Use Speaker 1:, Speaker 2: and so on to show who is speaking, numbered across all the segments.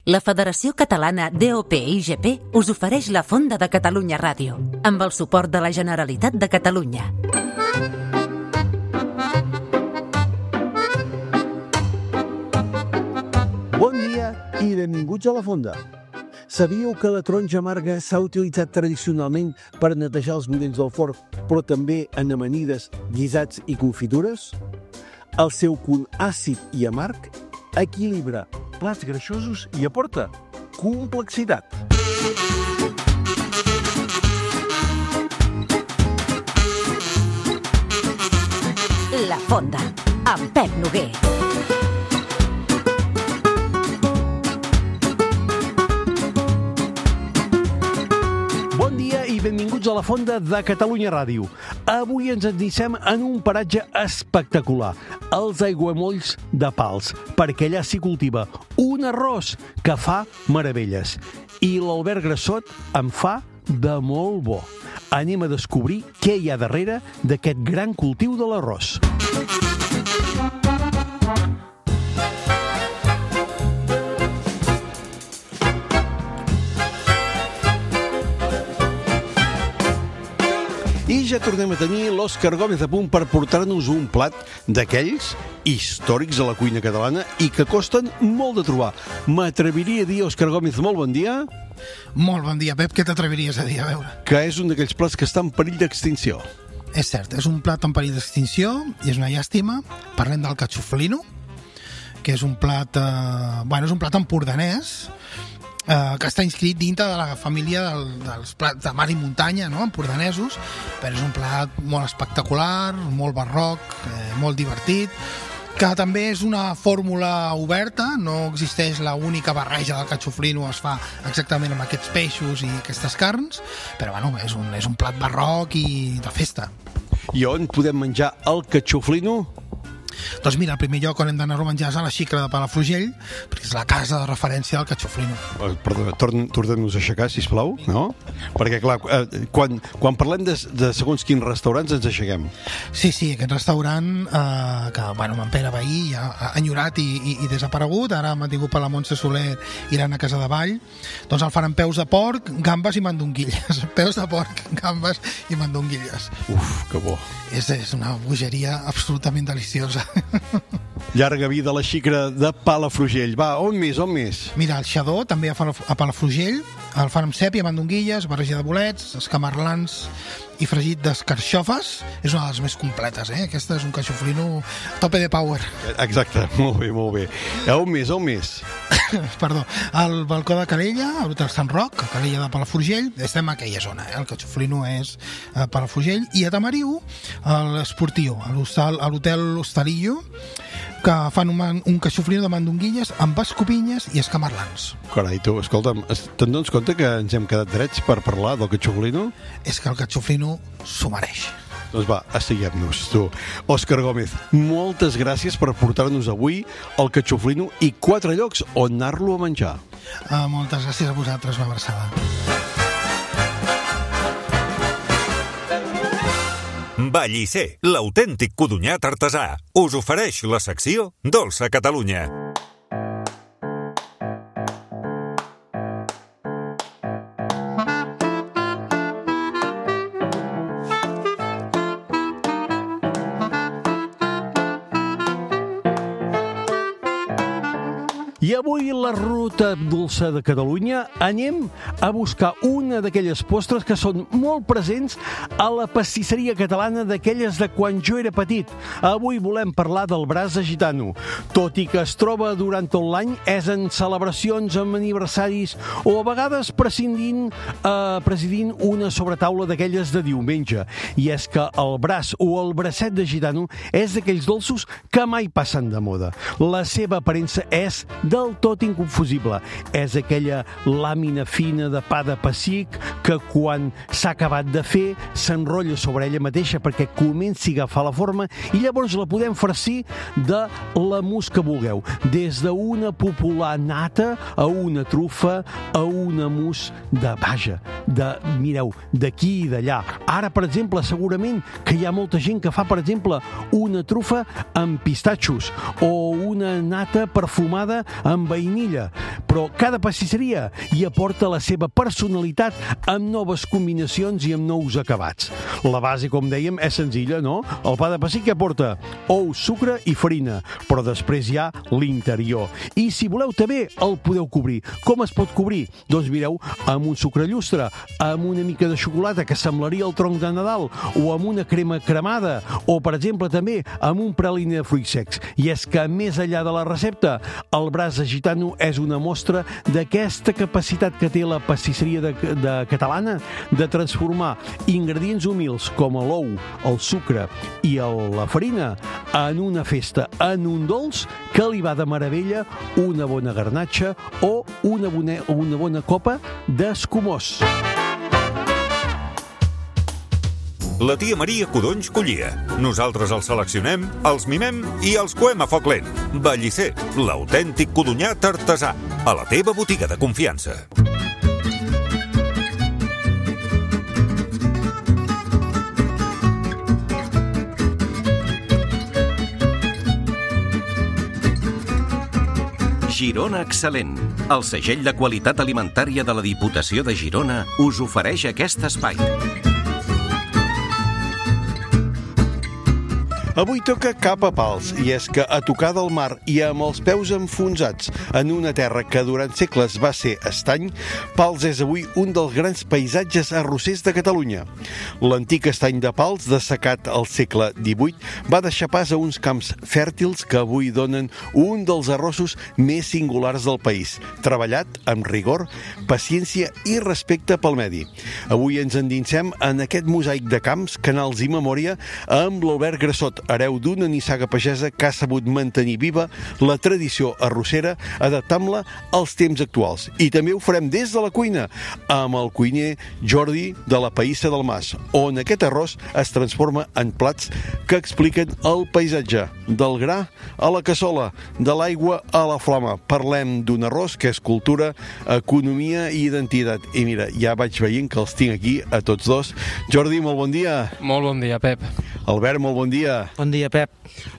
Speaker 1: La Federació Catalana DOP-IGP us ofereix la Fonda de Catalunya Ràdio, amb el suport de la Generalitat de Catalunya.
Speaker 2: Bon dia i benvinguts a la Fonda. Sabíeu que la taronja amarga s'ha utilitzat tradicionalment per netejar els budells del forn, però també en amanides, guisats i confitures? El seu punt àcid i amarg equilibra plats greixosos i aporta complexitat.
Speaker 1: La Fonda, amb Pep Noguer.
Speaker 2: Bon dia i benvinguts a la Fonda de Catalunya Ràdio. Avui ens endinsem en un paratge espectacular, els aiguamolls de Pals, perquè allà s'hi cultiva un arròs que fa meravelles. I l'Albert Grassot en fa de molt bo. Anem a descobrir què hi ha darrere d'aquest gran cultiu de l'arròs. I ja tornem a tenir l'Òscar Gómez a punt per portar-nos un plat d'aquells històrics a la cuina catalana i que costen molt de trobar. M'atreviria a dir, Òscar Gómez, molt bon dia.
Speaker 3: Molt bon dia, Pep. Què t'atreviries a dir? A veure.
Speaker 2: Que és un d'aquells plats que està en perill d'extinció.
Speaker 3: És cert, és un plat en perill d'extinció i és una llàstima. Parlem del cachoflino, que és un plat, és un plat empordanès, que està inscrit dintre de la família dels plats de mar i muntanya, no? Empordanesos, però és un plat molt espectacular, molt barroc, molt divertit, que també és una fórmula oberta, no existeix la única barreja del cachoflino, es fa exactament amb aquests peixos i aquestes carns, però bueno, és un plat barroc i de festa.
Speaker 2: I on podem menjar el cachoflino?
Speaker 3: Doncs mira, el primer lloc on hem d'anar-ho a menjar és a la Xicra de Palafrugell, perquè és la casa de referència del cachoflino.
Speaker 2: Perdona, tornem-nos a aixecar, sisplau, no? Perquè, clar, quan parlem de segons quins restaurants ens aixequem.
Speaker 3: Sí, aquest restaurant que, en Pere Bahí ja ha enyorat i desaparegut, ara m'ha tingut per la Montse Soler irant a Casa de Vall, doncs el fan amb peus de porc, gambes i mandonguilles. Peus de porc, gambes i mandonguilles.
Speaker 2: Uf, que bo.
Speaker 3: És una bogeria absolutament deliciosa.
Speaker 2: Llarga vida a la Xicra de Palafrugell. Va, on més?
Speaker 3: Mira, el xadó també a Palafrugell, el fan amb sèpia, mandonguilles, barreja de bolets, escamarlans i fregit d'escarxofes. És una de les més completes, Aquesta és un cachoflino tope de power.
Speaker 2: Exacte, molt bé. On més?
Speaker 3: Perdó, al balcó de Calella, a l'Hotel Sant Roc, a Calella de Palafrugell, estem a aquella zona, el cachoflino és a Palafrugell, i a Tamariu, a l'Esportiu, a l'Hotel Hostalillo, que fan un cachoflino de mandonguilles amb escopinyes i escamarlans.
Speaker 2: Carai, tu, escolta'm, te'n dones compte que ens hem quedat drets per parlar del cachoflino?
Speaker 3: És que el cachoflino s'ho mereix.
Speaker 2: Doncs va, estiguem-nos, tu. Òscar Gómez, moltes gràcies per portar-nos avui el cachoflino i 4 llocs on anar-lo a menjar.
Speaker 3: Moltes gràcies a vosaltres, una abraçada.
Speaker 4: Vallisser, l'autèntic codonyat artesà, us ofereix la secció Dolça Catalunya.
Speaker 2: I avui la ruta dolça de Catalunya anem a buscar una d'aquelles postres que són molt presents a la pastisseria catalana d'aquelles de quan jo era petit. Avui volem parlar del brasa gitano. Tot i que es troba durant tot l'any, és en celebracions, en aniversaris o a vegades presidint una sobretaula d'aquelles de diumenge. I és que el braç o el bracet de gitano és d'aquells dolços que mai passen de moda. La seva aparença és del tot inconfusible. És aquella làmina fina de pa de pessic que quan s'ha acabat de fer s'enrotlla sobre ella mateixa perquè comenci a agafar la forma i llavors la podem farcir de la mousse que vulgueu. Des d'una popular nata a una trufa a una mousse mireu, d'aquí i d'allà. Ara, per exemple, segurament que hi ha molta gent que fa, per exemple, una trufa amb pistatxos o una nata perfumada amb amb vainilla, però cada pastisseria hi aporta la seva personalitat amb noves combinacions i amb nous acabats. La base, com dèiem, és senzilla, no? El pa de pessic que aporta ou, sucre i farina, però després hi ha l'interior. I si voleu també el podeu cobrir. Com es pot cobrir? Doncs mireu, amb un sucre llustre, amb una mica de xocolata que semblaria el tronc de Nadal, o amb una crema cremada, o per exemple també amb un praline de fruits secs. I és que més enllà de la recepta, el braç de gitano és una mostra d'aquesta capacitat que té la pastisseria de catalana de transformar ingredients humils com l'ou, el sucre i la farina en una festa, en un dolç que li va de meravella una bona garnatxa o una bona copa d'escumós.
Speaker 4: La tia Maria Codonys collia. Nosaltres els seleccionem, els mimem i els coem a foc lent. Ballisser, l'autèntic codonyat artesà. A la teva botiga de confiança.
Speaker 5: Girona Excel·lent. El segell de qualitat alimentària de la Diputació de Girona us ofereix aquest espai.
Speaker 2: Avui toca cap a Pals, i és que a tocar del mar i amb els peus enfonsats en una terra que durant segles va ser estany, Pals és avui un dels grans paisatges arrossers de Catalunya. L'antic estany de Pals, dessecat al segle XVIII, va deixar pas a uns camps fèrtils que avui donen un dels arrossos més singulars del país, treballat amb rigor, paciència i respecte pel medi. Avui ens endinsem en aquest mosaic de camps, canals i memòria amb l'Albert Grassot, hereu d'una nissaga pagesa que ha sabut mantenir viva la tradició arrossera adaptant-la als temps actuals. I també ho farem des de la cuina, amb el cuiner Jordi de la Païssa del Mas, on aquest arròs es transforma en plats que expliquen el paisatge, del gra a la cassola, de l'aigua a la flama. Parlem d'un arròs que és cultura, economia i identitat. I mira, ja vaig veient que els tinc aquí a tots dos. Jordi, molt bon dia.
Speaker 6: Molt bon dia, Pep.
Speaker 2: Albert, molt bon dia.
Speaker 7: Bon dia, Pep.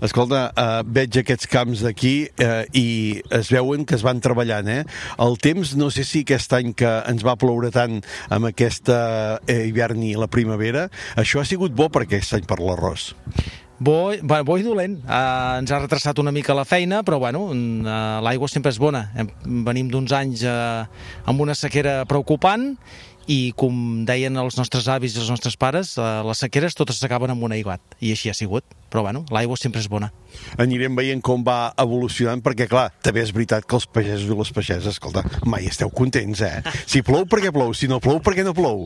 Speaker 2: Escolta, veig aquests camps d'aquí i es veuen que es van treballant, eh? El temps, no sé si aquest any que ens va ploure tant amb aquesta hivern i la primavera, això ha sigut bo per aquest any per l'arròs.
Speaker 7: Bo i dolent. Ens ha retrasat una mica la feina, però bueno, l'aigua sempre és bona. Venim d'uns anys amb una sequera preocupant i, com deien els nostres avis i els nostres pares, les sequeres totes s'acaben amb un aiguat, i així ha sigut. Però bueno, l'aigua sempre és bona.
Speaker 2: Anirem veient com va evolucionant, perquè clar, també és veritat que els pagesos i les pageses, escolta, mai esteu contents, eh? Si plou, per què plou? Si no plou, per què no plou?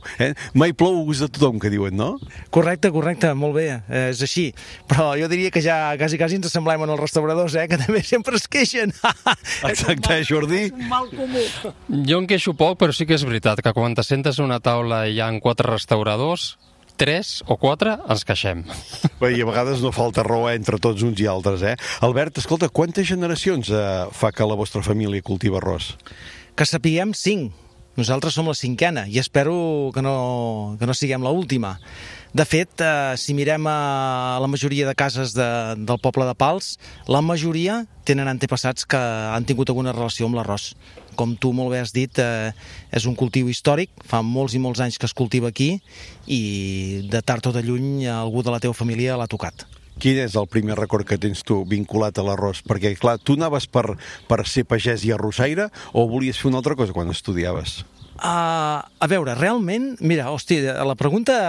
Speaker 2: Mai plou a gust de tothom, que diuen, no?
Speaker 7: Correcte, molt bé, és així. Però jo diria que ja quasi ens assemblem en els restauradors, que també sempre es queixen.
Speaker 2: Exacte, Jordi?
Speaker 7: És un mal comú.
Speaker 6: Jo em queixo poc, però sí que és veritat que quan t'assentes a una taula i hi ha 4 restauradors, 3 o 4 ens queixem.
Speaker 2: Bé, i a vegades no falta raó entre tots uns i altres, eh? Albert, escolta, quantes generacions fa que la vostra família cultiva arròs?
Speaker 7: Que sapiguem 5. Nosaltres som la 5a i espero que no siguem l'última. De fet, si mirem a la majoria de cases del poble de Pals, la majoria tenen antepassats que han tingut alguna relació amb l'arròs. Com tu molt bé has dit, és un cultiu històric, fa molts i molts anys que es cultiva aquí i de tard o de lluny algú de la teva família l'ha tocat.
Speaker 2: Quin és el primer record que tens tu vinculat a l'arròs? Perquè, clar, tu anaves per ser pagès i arrossaire o volies fer una altra cosa quan estudiaves?
Speaker 7: A veure, realment, mira, hòstia, la pregunta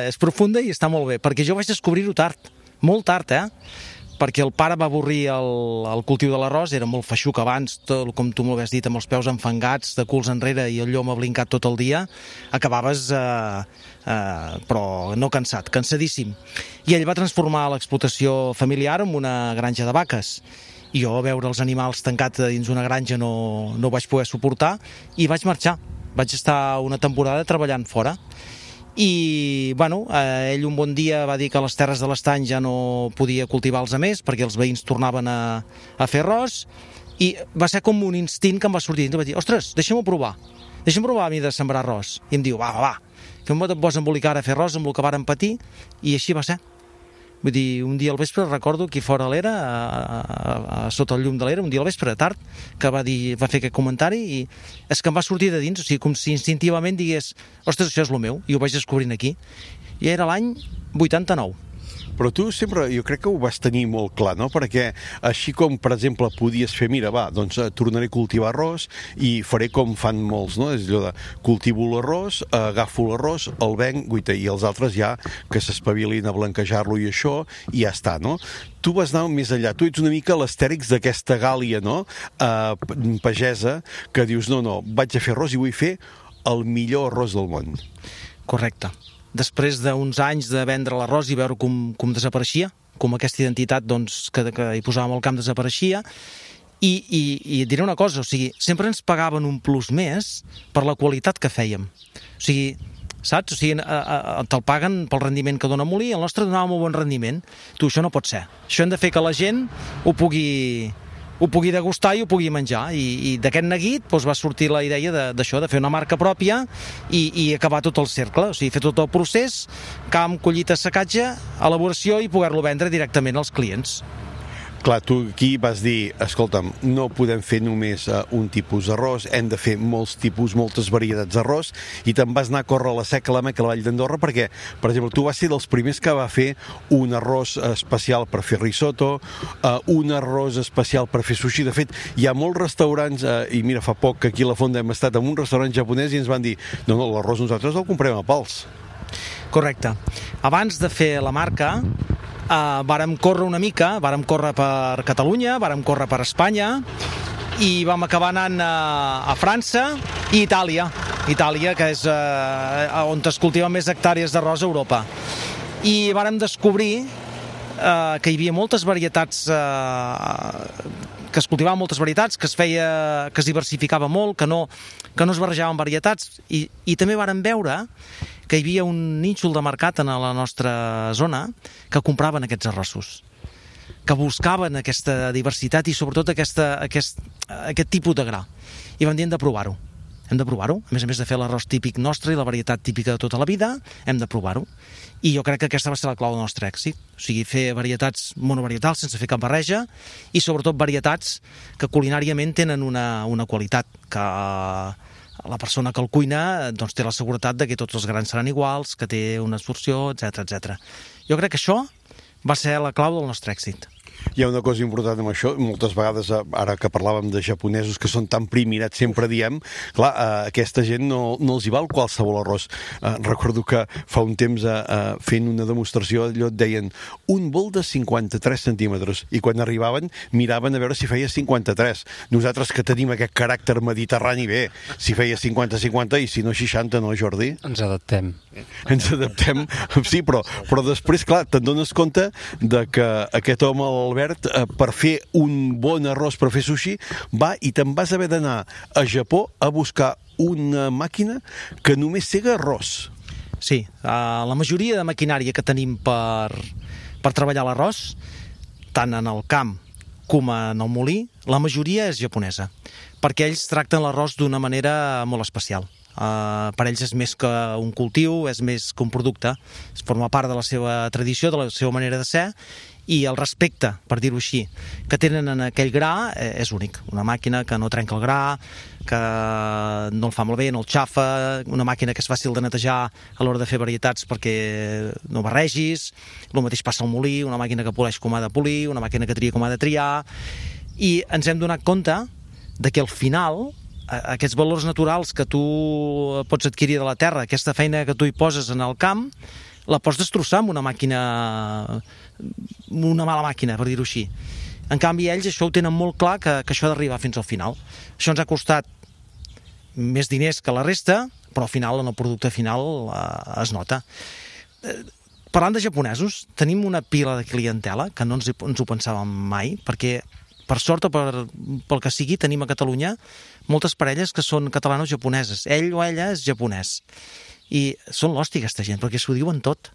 Speaker 7: és profunda i està molt bé, perquè jo vaig descobrir-ho tard, molt tard, perquè el pare va avorrir el cultiu de l'arròs, era molt feixuc abans, tot, com tu m'ho has dit, amb els peus enfangats, de culs enrere i el llom blincat tot el dia, acabaves, però no cansat, cansadíssim. I ell va transformar l'explotació familiar en una granja de vaques. I jo, veure els animals tancats dins una granja no ho vaig poder suportar i vaig marxar. Vaig estar una temporada treballant fora. I, bueno, ell un bon dia va dir que les terres de l'estany ja no podia cultivar-los a més perquè els veïns tornaven a fer arròs i va ser com un instint que em va sortir i em va dir, ostres, deixa'm-ho provar a mi de sembrar arròs. I em diu, va, que em pots embolicar a fer arròs amb el que vàrem patir i així va ser. Vull dir, un dia al vespre recordo aquí fora a l'era, sota el llum de l'era, un dia al vespre tard, que va fer aquest comentari i és que em va sortir de dins, o sigui, com si instintivament digués, ostres, això és el meu, i ho vaig descobrint aquí. I era l'any 89.
Speaker 2: Però tu sempre, jo crec que ho vas tenir molt clar, no? Perquè així com, per exemple, podies fer, mira, va, doncs tornaré a cultivar arròs i faré com fan molts, no? És allò de cultivo l'arròs, agafo l'arròs, el venc, guaita, i els altres ja que s'espavilin a blanquejar-lo i això, i ja està, no? Tu vas anar més enllà, tu ets una mica l'astèrix d'aquesta Gàlia, no? Pagesa, que dius, no, vaig a fer arròs i vull fer el millor arròs del món.
Speaker 7: Correcte. Després d'uns anys de vendre l'arròs i veure com desapareixia, com aquesta identitat doncs, que hi posàvem al camp desapareixia, i et diré una cosa, o sigui, sempre ens pagaven un plus més per la qualitat que fèiem. O sigui, saps? O sigui, te'l paguen pel rendiment que dona molí, el nostre donava molt bon rendiment. Tu, això no pot ser. Això hem de fer que la gent ho pugui degustar i ho pugui menjar, i d'aquest neguit doncs, va sortir la idea d'això, de fer una marca pròpia i acabar tot el cercle, o sigui, fer tot el procés, camp, collita, secatge, elaboració i poder-lo vendre directament als clients.
Speaker 2: Clar, tu aquí vas dir, escolta'm, no podem fer només un tipus d'arròs, hem de fer molts tipus, moltes varietats d'arròs, i te'n vas anar a córrer a la Seca, a la Meca, a la Vall d'Andorra, perquè, per exemple, tu vas ser dels primers que va fer un arròs especial per fer risotto, un arròs especial per fer sushi. De fet, hi ha molts restaurants, i mira, fa poc que aquí a la Fonda hem estat en un restaurant japonès i ens van dir, no, l'arròs nosaltres el comprem a pals.
Speaker 7: Correcte. Abans de fer la marca, vàrem córrer una mica, vàrem córrer per Catalunya, vàrem córrer per Espanya i vam acabar anant a França i Itàlia, que és on es cultiven més hectàrees d'arròs a Europa. I vàrem descobrir que hi havia moltes varietats, que es cultivaven moltes varietats, que es diversificava molt, que no es barrejaven varietats, i també vàrem veure que hi havia un nínxol de mercat en la nostra zona que compraven aquests arrossos, que buscaven aquesta diversitat i sobretot aquest tipus de gra. I vam dir, hem de provar-ho. A més a més de fer l'arròs típic nostre i la varietat típica de tota la vida, hem de provar-ho. I jo crec que aquesta va ser la clau del nostre èxit. O sigui, fer varietats monovarietals sense fer cap barreja i sobretot varietats que culinàriament tenen una qualitat, que la persona que el cuina doncs, té la seguretat de que tots els grans seran iguals, que té una absorció, etc. Jo crec que això va ser la clau del nostre èxit.
Speaker 2: Hi ha una cosa important amb això, moltes vegades, ara que parlàvem de japonesos que són tan primirats, sempre diem, clar, aquesta gent no els hi val qualsevol arròs. Recordo que fa un temps fent una demostració, allò et deien un bol de 53 centímetres, i quan arribaven miraven a veure si feia 53. Nosaltres que tenim aquest caràcter mediterrani, bé, si feia 50-50 i si no 60, no, Jordi?
Speaker 6: Ens adaptem.
Speaker 2: Sí, però després, clar, te'n dones compte de que aquest home, l'Albert, per fer un bon arròs per fer sushi, va i te'n vas haver d'anar a Japó a buscar una màquina que només sega arròs.
Speaker 7: Sí, la majoria de maquinària que tenim per treballar l'arròs, tant en el camp com en el molí, la majoria és japonesa, perquè ells tracten l'arròs d'una manera molt especial. Per ells és més que un cultiu, és més que un producte, forma part de la seva tradició, de la seva manera de ser, i el respecte, per dir-ho així, que tenen en aquell gra és únic. Una màquina que no trenca el gra, que no el fa malbé, no el xafa, una màquina que és fàcil de netejar a l'hora de fer varietats perquè no barregis, el mateix passa al molí, una màquina que poleix com ha de polir, una màquina que tria com ha de triar, i ens hem donat compte de que al final aquests valors naturals que tu pots adquirir de la terra, aquesta feina que tu hi poses en el camp, la pots destrossar amb una màquina, una mala màquina, per dir-ho així. En canvi, ells això ho tenen molt clar, que això ha d'arribar fins al final. Això ens ha costat més diners que la resta, però al final, en el producte final, es nota. Parlant de japonesos, tenim una pila de clientela que no ens ho pensàvem mai, perquè per sort o pel que sigui, tenim a Catalunya moltes parelles que són catalano-japoneses. Ell o ella és japonès. I són l'hòstia, aquesta gent, perquè s'ho diuen tot.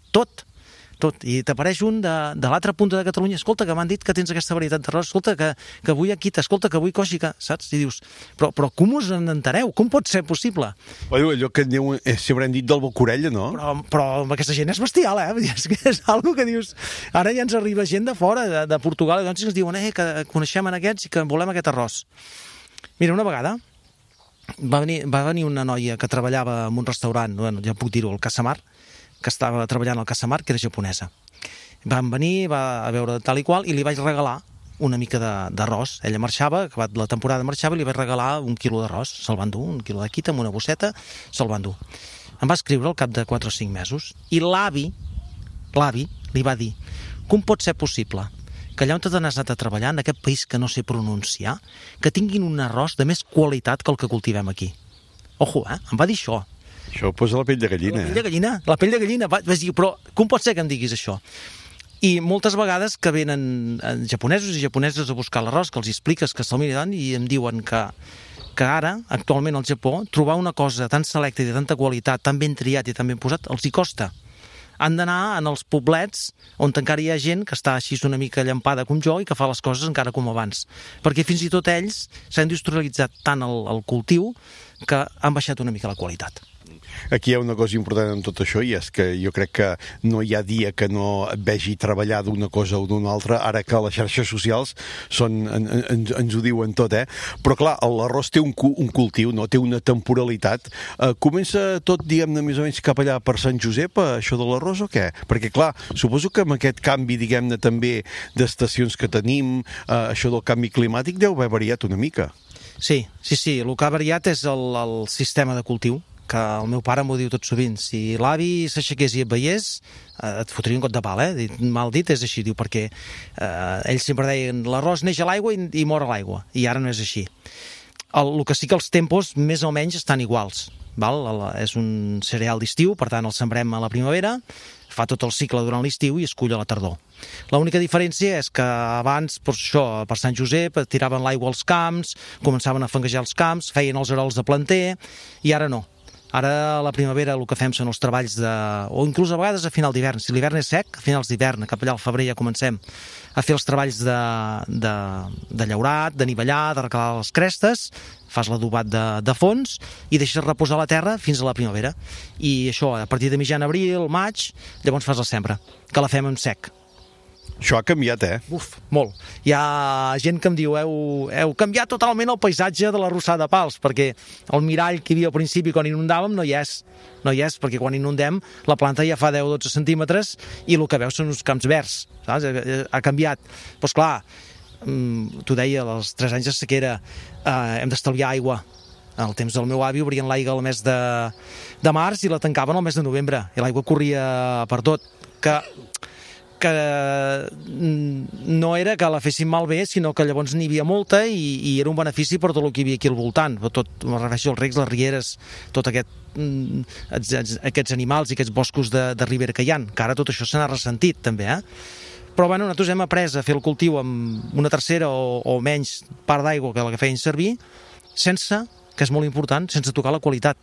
Speaker 7: tot. I t'apareix un de l'altra punta de Catalunya, escolta, que m'han dit que tens aquesta varietat d'arròs, escolta, que vull aquí, escolta, que vull coixica, saps? I dius, però com us en entereu? Com pot ser possible?
Speaker 2: Allò que aneu, sempre hem dit del Bocorella, no?
Speaker 7: Però amb aquesta gent és bestial, És que és algo que dius... Ara ja ens arriba gent de fora, de Portugal, i doncs ens diuen que coneixem en aquests i que volem aquest arròs. Mira, una vegada va venir una noia que treballava en un restaurant, bueno, ja puc dir-ho, al Casamar, que estava treballant al Casamar, que era japonesa. Van venir, va a veure tal i qual, i li vaig regalar una mica d'arròs. Ella marxava, acabat la temporada marxava, i li vaig regalar 1 quilo d'arròs. Se'l van dur, 1 quilo de quita amb una bosseta, se'l van dur. Em va escriure al cap de 4 o 5 mesos, i l'avi li va dir, com pot ser possible que allà on t'has anat a treballar, en aquest país que no sé pronunciar, que tinguin un arròs de més qualitat que el que cultivem aquí. Ojo, em va dir això.
Speaker 2: Això posa la pell de gallina.
Speaker 7: La pell de gallina. Vaig dir, però com pot ser que em diguis això? I moltes vegades que venen japonesos i japoneses a buscar l'arròs, que els expliques que se'l miren i em diuen que ara, actualment al Japó, trobar una cosa tan selecta i de tanta qualitat, tan ben triat i tan ben posat, els hi costa. Han d'anar en els poblets on encara hi ha gent que està així una mica llampada com jo i que fa les coses encara com abans. Perquè fins i tot ells s'ha industrialitzat tant el cultiu que han baixat una mica la qualitat.
Speaker 2: Aquí hi ha una cosa important en tot això, i és que jo crec que no hi ha dia que no et vegi treballar d'una cosa o d'una altra, ara que les xarxes socials ens ho diuen tot, Però clar, l'arròs té un cultiu, no? Té una temporalitat. Comença tot, diguem-ne, més o menys cap allà per Sant Josep, això de l'arròs o què? Perquè clar, suposo que amb aquest canvi, diguem-ne, també d'estacions que tenim, això del canvi climàtic deu haver variat una mica.
Speaker 7: Sí, el que ha variat és el sistema de cultiu, que el meu pare m'ho diu tot sovint. Si l'avi s'aixequés i et veiés, et fotria un got de pal, Mal dit és així, diu, perquè ells sempre deien l'arròs neix a l'aigua i mor a l'aigua, i ara no és així. El que sí que els tempos més o menys estan iguals, val? És un cereal d'estiu, per tant el sembrem a la primavera, fa tot el cicle durant l'estiu i es cull a la tardor. L'única diferència és que abans, per Sant Josep, tiraven l'aigua als camps, començaven a fanguejar els camps, feien els arols de planter, i ara no. Ara, a la primavera, el que fem són els treballs o inclús a vegades a final d'hivern. Si l'hivern és sec, a finals d'hivern, cap allà al febrer ja comencem a fer els treballs de llaurat, de nivellar, de recalar les crestes, fas l'adobat de fons i deixes reposar la terra fins a la primavera. I això, a partir de mitjan abril, maig, llavors fas la sembra, que la fem en sec.
Speaker 2: Això ha canviat,
Speaker 7: Uf, molt. Hi ha gent que em diu, heu canviat totalment el paisatge de la Rossada de Pals, perquè el mirall que hi havia al principi quan inundàvem no hi és, perquè quan inundem la planta ja fa 10-12 centímetres i el que veus són uns camps verds, saps? Ha canviat. Doncs clar, t'ho deia, als 3 anys de sequera hem d'estalviar aigua. Al temps del meu avi obrien l'aigua al mes de març i la tancaven al mes de novembre, i l'aigua corria per tot, que no era que la fessin malbé, sinó que llavors n'hi havia molta i era un benefici per tot el que hi havia aquí al voltant, tot, me refereixo als recs, les rieres, tot aquests animals i aquests boscos de ribera que hi ha, que ara tot això se n'ha ressentit també, Però bueno, nosaltres hem après a fer el cultiu amb una tercera o menys part d'aigua que la que feien servir, sense, que és molt important, sense tocar la qualitat.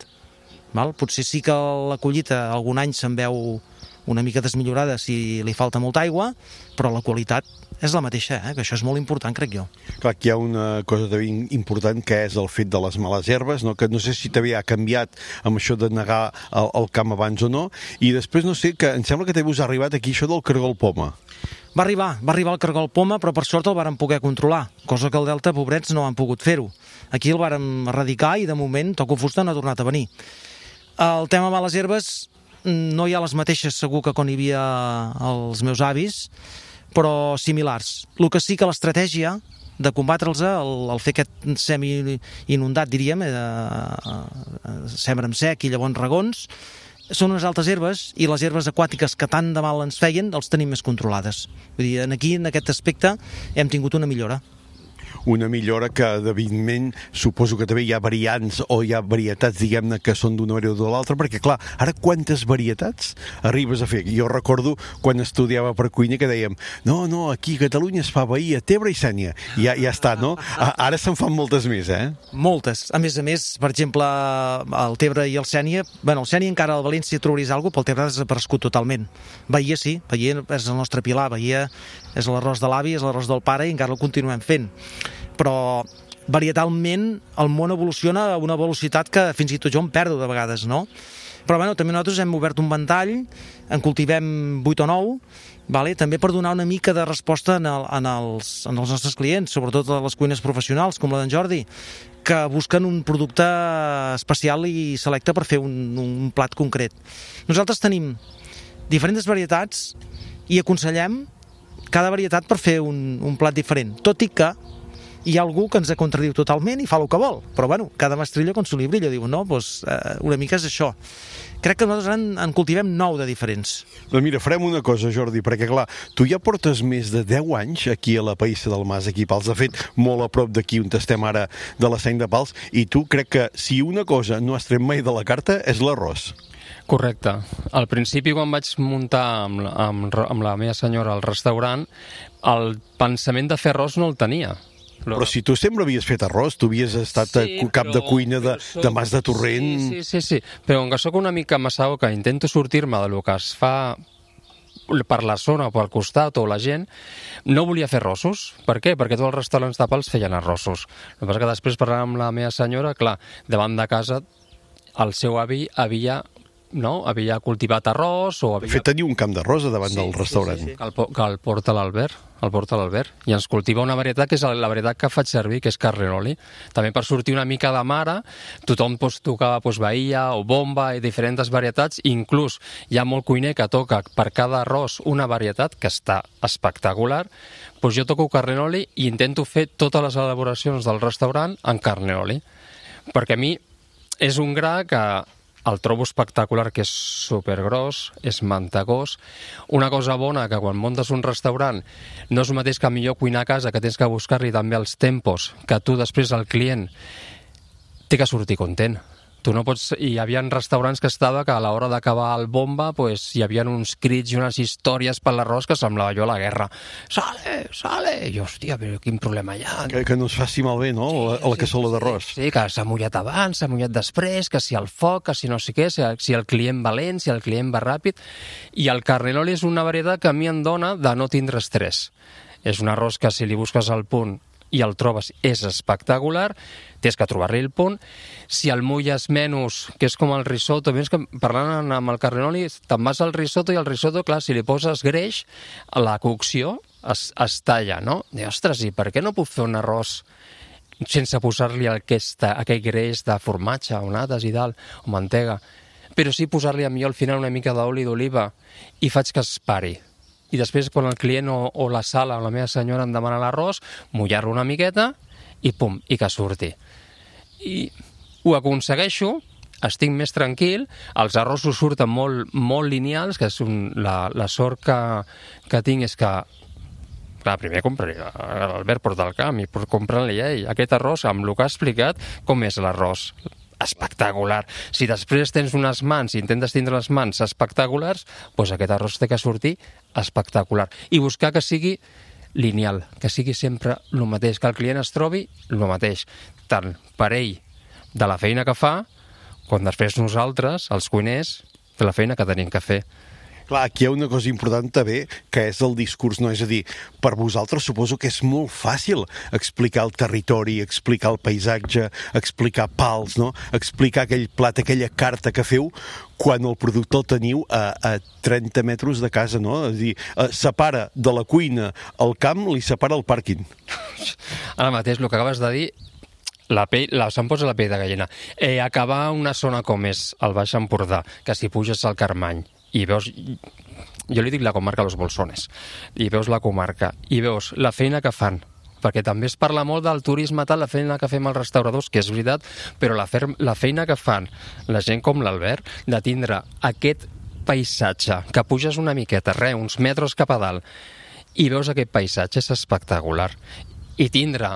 Speaker 7: Potser sí que la collita algun any se'n veu una mica desmillorada si li falta molta aigua, però la qualitat és la mateixa, que això és molt important, crec jo.
Speaker 2: Clar, aquí hi ha una cosa també important, que és el fet de les males herbes, que no sé si també ha canviat amb això de negar el camp abans o no, i després no sé, que em sembla que també us ha arribat aquí això del cargol poma.
Speaker 7: Va arribar el cargol poma, però per sort el vàrem poder controlar, cosa que al Delta, pobrets, no han pogut fer-ho. Aquí el vàrem erradicar i de moment toco fusta no ha tornat a venir. El tema males herbes no hi ha les mateixes segur que quan hi havia els meus avis, però similars. El que sí que l'estratègia de combatre'ls, el fer aquest semi-inundat, diríem, sembra en sec i llavors regons, són unes altres herbes, i les herbes aquàtiques que tant de mal ens feien els tenim més controlades. Vull dir, aquí, en aquest aspecte, hem tingut una millora.
Speaker 2: una millora que, evidentment, suposo que també hi ha variants o hi ha varietats, diguem-ne, que són d'una manera o de l'altra, perquè, clar, ara quantes varietats arribes a fer? Jo recordo quan estudiava per cuina que dèiem no, aquí a Catalunya es fa Bahia, Tebre i Sénia. Ja està, no? Ara se'n fan moltes més,
Speaker 7: Moltes. A més, per exemple, el Tebre i el Sénia, el Sénia encara al València trobaries alguna cosa, però el Tebre ha desaparegut totalment. Bahia sí, Bahia és el nostre pilar, Bahia és l'arròs de l'avi, és l'arròs del pare i encara el continuem fent. Però varietalment el món evoluciona a una velocitat que fins i tot jo em perdo de vegades, no? Però també nosaltres hem obert un ventall, en cultivem 8 o 9, també per donar una mica de resposta en els nostres clients, sobretot a les cuines professionals, com la d'en Jordi, que busquen un producte especial i selecte per fer un plat concret. Nosaltres tenim diferents varietats i aconsellem cada varietat per fer un plat diferent, tot i que hi ha algú que ens contradiu totalment i fa el que vol, però cada mestrillo con su librillo, diu, no? Una mica és això. Crec que nosaltres en cultivem 9 de diferents.
Speaker 2: Doncs mira, farem una cosa, Jordi, perquè clar, tu ja portes més de 10 anys aquí a la Païssa del Mas, aquí a Pals, de fet, molt a prop d'aquí on estem ara de la Seny de Pals, i tu crec que si una cosa no has tret mai de la carta és l'arròs.
Speaker 6: Correcte. Al principi, quan vaig muntar amb la meva senyora al restaurant, el pensament de fer arròs no el tenia.
Speaker 2: Però si tu sempre havies fet arròs, tu havies estat cap de cuina de Mas de Torrent...
Speaker 6: Sí, però com que soc una mica massau, que intento sortir-me del que es fa per la zona o pel costat o la gent, no volia fer arrossos. Per què? Perquè tots els restaurants de Pals feien arrossos. El que passa que després, parlant amb la meva senyora, clar, davant de casa el seu avi havia cultivat arròs o havia...
Speaker 2: De fet, tenia un camp d'arròs davant del restaurant.
Speaker 6: Sí. Que el porta l'Albert, i ens cultiva una varietat que és la varietat que faig servir, que és Carneloli. També per sortir una mica de mare, tothom tocava Bahia o Bomba i diferents varietats, inclús hi ha molt cuiner que toca per cada arròs una varietat que està espectacular, doncs jo toco Carneloli i intento fer totes les elaboracions del restaurant en Carneloli, perquè a mi és un gra que el trobo espectacular, que és supergros, és mantegós. Una cosa bona, que quan muntes un restaurant no és el mateix que millor cuinar a casa, que tens que buscar-li també els tempos, que tu després el client té que sortir content. Tu no pots... Hi havia restaurants que estava que a l'hora d'acabar el Bomba hi havia uns crits i unes històries per l'arròs que semblava jo la guerra. Sale! I jo, hòstia, però quin problema hi ha?
Speaker 2: Que no es faci malbé, no?, la cassola d'arròs.
Speaker 6: Sí, que s'ha mullat abans, s'ha mullat després, que si el foc, que si no sé què, si el client va lent, si el client va ràpid. I el Carneloli és una varietat que a mi em dona de no tindre estrès. És un arròs que si li busques el punt i el trobes, és espectacular, tens que trobar-li el punt. Si el mulles menys, que és com el risotto, que parlant amb el Carneloli, te'n vas al risotto i el risotto, clar, si li poses greix, la cocció es talla, no? I, ostres, i per què no puc fer un arròs sense posar-li aquell greix de formatge o nates i dalt, o mantega, però sí posar-li millor al final una mica d'oli d'oliva i faig que es pari. I després, quan el client o la sala o la meva senyora em demana l'arròs, mullar-lo una miqueta i pum, i que surti. I ho aconsegueixo, estic més tranquil, els arrossos surten molt lineals, que és la sort que tinc és que, clar, primer compraria, l'Albert porta al camp i comprant-li a ell aquest arròs, amb el que ha explicat, com és l'arròs. Espectacular. Si després tens unes mans i intentes tindre les mans espectaculars, doncs aquest arròs té que sortir espectacular. I buscar que sigui lineal, que sigui sempre el mateix, que el client es trobi el mateix, tant per ell de la feina que fa, com després nosaltres, els cuiners, de la feina que tenim que fer.
Speaker 2: Clar, aquí hi ha una cosa important també, que és el discurs, no? És a dir, per vosaltres suposo que és molt fàcil explicar el territori, explicar el paisatge, explicar Pals, no? Explicar aquell plat, aquella carta que feu, quan el producte el teniu a 30 metres de casa, no? És a dir, separa de la cuina el camp, li separa el pàrquing.
Speaker 6: Ara mateix, el que acabes de dir, se'm posa la pell de gallina. Acabar una zona com és el Baix Empordà, que si puges al Carmany, i veus, jo li dic la comarca Los Bolsones, i veus la comarca, i veus la feina que fan, perquè també es parla molt del turisme, tal, la feina que fem els restauradors, que és veritat, però la feina que fan la gent com l'Albert, de tindre aquest paisatge, que puges una miqueta, uns metres cap a dalt, i veus aquest paisatge, és espectacular. I tindre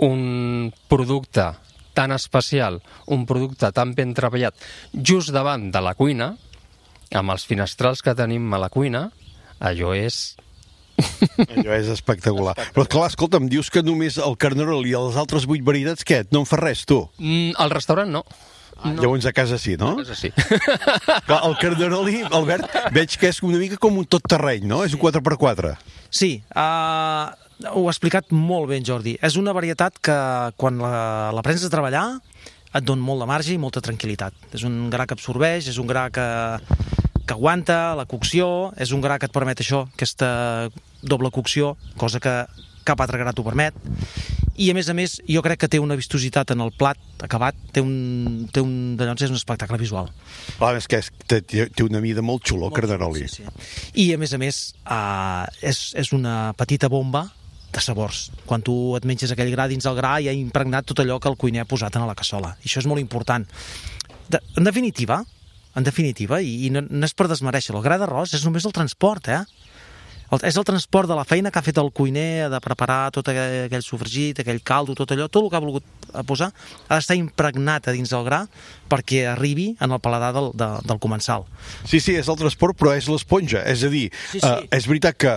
Speaker 6: un producte tan especial, un producte tan ben treballat, just davant de la cuina, amb els finestrals que tenim a la cuina, allò és...
Speaker 2: Allò és espectacular. Però clar, escolta, em dius que només el carnerol i les altres 8 varietats, què? No en fa res, tu?
Speaker 6: Al restaurant no.
Speaker 2: Llavors a casa sí, no?
Speaker 6: A casa sí.
Speaker 2: Clar, el carneroli, Albert, veig que és una mica com un tot terreny, no? És un 4x4.
Speaker 7: Sí, ho ha explicat molt bé en Jordi. És una varietat que quan la prens a treballar et dona molt de marge i molta tranquil·litat. És un gra que absorbeix, és un gra que aguanta la cocció, és un gra que et permet això, aquesta doble cocció, cosa que cap altre gra t'ho permet. I a més, jo crec que té una vistositat en el plat acabat, té un és un espectacle visual.
Speaker 2: Clar, és que té una mida molt xula, el carneroli.
Speaker 7: Sí. I a més, és una petita bomba de sabors. Quan tu et menges aquell gra dins el gra ja ha impregnat tot allò que el cuiner ha posat en la cassola. I això és molt important. En definitiva, i no és per desmereixer, el gra d'arròs és només el transport, és el transport de la feina que ha fet el cuiner de preparar tot aquell sofregit, aquell caldo, tot allò, tot el que ha volgut posar ha d'estar impregnat a dins del gra perquè arribi en el paladar del comensal.
Speaker 2: Sí, és el transport, però és l'esponja. És a dir, és veritat que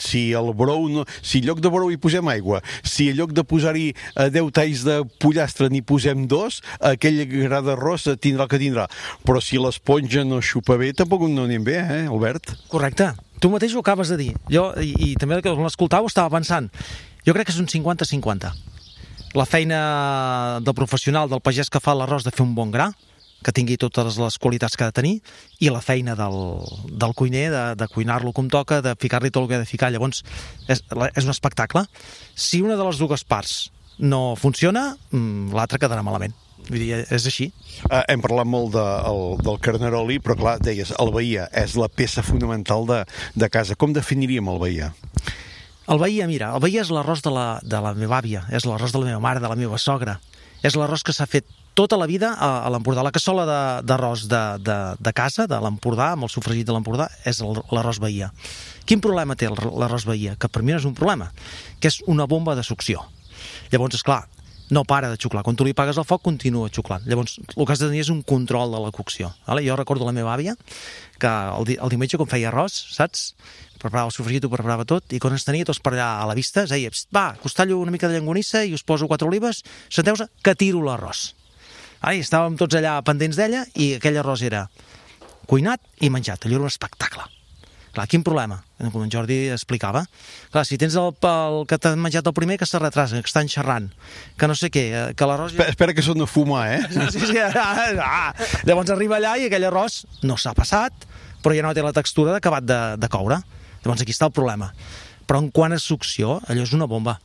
Speaker 2: si el brou, si en lloc de brou hi posem aigua, si en lloc de posar-hi 10 talls de pollastre n'hi posem 2, aquell gra d'arròs tindrà el que tindrà. Però si l'esponja no xupa bé, tampoc no anem bé, Albert?
Speaker 7: Correcte. Tu mateix ho acabes de dir. Jo, i també que l'escoltau, estava pensant. Jo crec que és un 50-50. La feina del professional, del pagès que fa l'arròs de fer un bon gra, que tingui totes les qualitats que ha de tenir, i la feina del cuiner, de cuinar-lo com toca, de ficar-li tot el que ha de ficar. Llavors, és un espectacle. Si una de les dues parts no funciona, l'altra quedarà malament. Vull dir, és així.
Speaker 2: Hem parlat molt del carneroli, però clar, deies, el bahia és la peça fonamental de casa. Com definiríem el bahia?
Speaker 7: El bahia, mira, el bahia és l'arròs de la meva àvia, és l'arròs de la meva mare, de la meva sogra. És l'arròs que s'ha fet tota la vida a l'Empordà. La cassola d'arròs de casa, de l'Empordà, amb el sofregit de l'Empordà, és l'arròs bahia. Quin problema té l'arròs bahia? Que per mi no és un problema, que és una bomba de succió. Llavors, esclar, no para de xuclar. Quan tu li pagues el foc, continua xuclant. Llavors, el que has de tenir és un control de la cocció. Jo recordo la meva àvia, que el diumenge, quan feia arròs, saps? Preparava el sofregit, ho preparava tot, i quan ens tenia tots per allà a la vista, es deia, va, us tallo una mica de llangonissa i us poso 4 olives, senteu-se, que tiro l'arròs. I estàvem tots allà pendents d'ella, i aquell arròs era cuinat i menjat. Allò era un espectacle. Clar, quin problema? Com en Jordi explicava. Clar, si tens el que t'ha menjat el primer, que se retrasa, que estan xerrant, que no sé què, que l'arròs...
Speaker 2: Espera que són a fumar,
Speaker 7: Sí. Llavors arriba allà i aquell arròs no s'ha passat, però ja no té la textura d'acabat de coure. Llavors aquí està el problema. Però en quant a succió, allò és una bomba.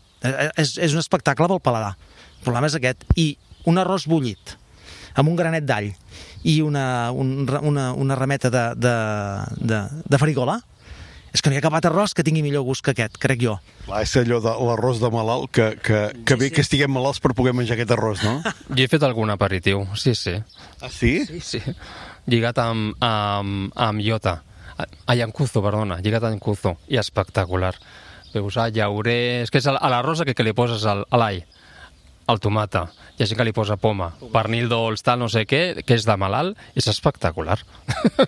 Speaker 7: És un espectacle pel paladar. El problema és aquest. I un arròs bullit, amb un granet d'all, i una rameta de farigola, és que no hi ha cap altre arròs que tingui millor gust que aquest, crec jo.
Speaker 2: Clar, és allò de l'arròs de malalt, que bé que estiguem malalts per poder menjar aquest arròs, no?
Speaker 6: Jo he fet algun aperitiu, sí.
Speaker 2: Ah, sí?
Speaker 6: Sí. Lligat amb iota. Llancuzo, perdona, lligat amb llancuzo. I espectacular. Veus, llaurers... És que és a l'arròs que li poses a l'all, el tomata, hi ha gent que li posa poma, pernil dolç, tal, no sé què, que és de malalt, és espectacular.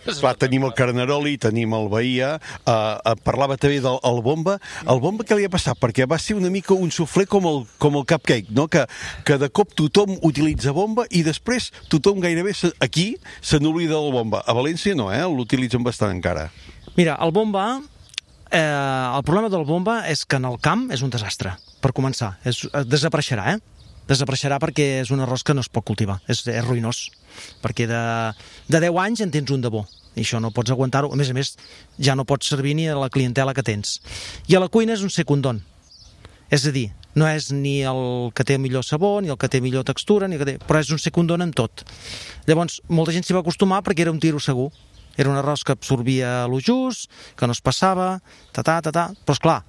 Speaker 2: Clar, tenim el carneroli, tenim el bahia, parlava també del bomba. El bomba què li ha passat? Perquè va ser una mica un suflé com el cupcake, no? Que de cop tothom utilitza bomba i després tothom gairebé aquí se n'oblida del bomba. A València no, l'utilitzen bastant encara.
Speaker 7: Mira, el bomba... el problema del bomba és que en el camp és un desastre, per començar. Desapareixerà, Desapareixerà perquè és un arròs que no es pot cultivar, és ruïnós, perquè de 10 anys en tens un de bo, i això no pots aguantar-ho, a més, ja no pots servir ni a la clientela que tens. I a la cuina és un secundón, és a dir, no és ni el que té millor sabor, ni el que té millor textura, però és un secundón en tot. Llavors, molta gent s'hi va acostumar perquè era un tiro segur, era un arròs que absorbia lo just, que no es passava, però esclar,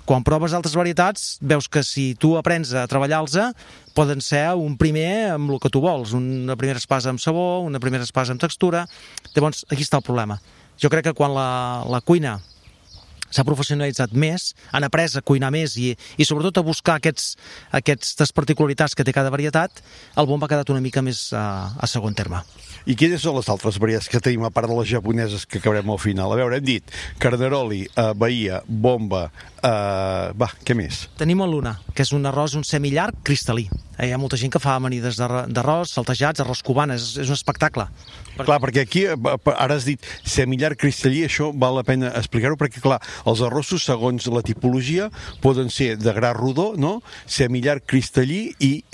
Speaker 7: quan proves altres varietats, veus que si tu aprens a treballar-los, poden ser un primer amb el que tu vols, una primera espasa amb sabor, una primera espasa amb textura. Llavors, aquí està el problema. Jo crec que quan la cuina s'ha professionalitzat més, han après a cuinar més i sobretot a buscar aquestes particularitats que té cada varietat, el bomba ha quedat una mica més a segon terme.
Speaker 2: I quines són les altres varietats que tenim, a part de les japoneses que acabarem al final? A veure, hem dit Carnaroli, Bahia, bomba, què més?
Speaker 7: Tenim el Luna, que és un arròs, un semillarg cristal·lí. Hi ha molta gent que fa amanides d'arròs, saltejats, arròs cubana, és un espectacle.
Speaker 2: Clar, perquè aquí, ara has dit semillarg cristal·lí, això val la pena explicar-ho, perquè clar, els arrossos, segons la tipologia, poden ser de gra rodó, no? Semillarg cristal·lí i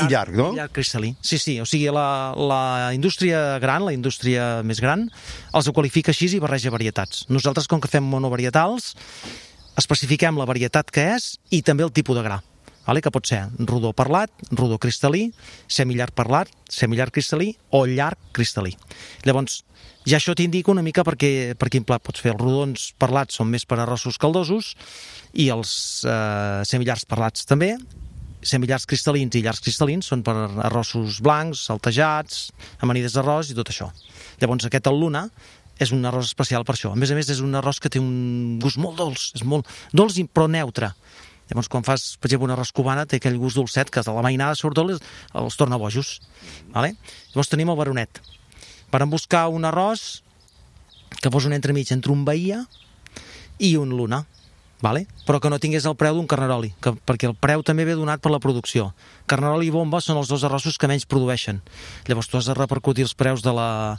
Speaker 2: llarg, no?
Speaker 7: Llarg cristal·lí, sí, o sigui, la indústria gran, la indústria més gran, els ho qualifica així i barreja varietats. Nosaltres, com que fem monovarietals, especifiquem la varietat que és i també el tipus de gra, que pot ser rodó parlat, rodó cristal·lí, semillarg parlat, semillarg cristal·lí o llarg cristal·lí. Llavors, ja això t'indica una mica per quin plat pots fer. Els rodons parlats són més per arrossos caldosos i els semillargs parlats també. Semillargs cristal·lins i llargs cristal·lins són per arrossos blancs, saltejats, amanides d'arròs i tot això. Llavors aquest, el Luna, és un arròs especial per això. A més, és un arròs que té un gust molt dolç, és molt dolç però neutre. Llavors, quan fas, per exemple, un arròs cubana, té aquell gust dolcet que de la mainada surt dolç, els torna bojos. Llavors tenim el Baronet. Vàrem buscar un arròs que fos un entremig entre un Bahia i un Luna, però que no tingués el preu d'un Carnaroli, perquè el preu també ve donat per la producció. Carnaroli i bomba són els dos arrossos que menys produeixen. Llavors tu has de repercutir els preus de la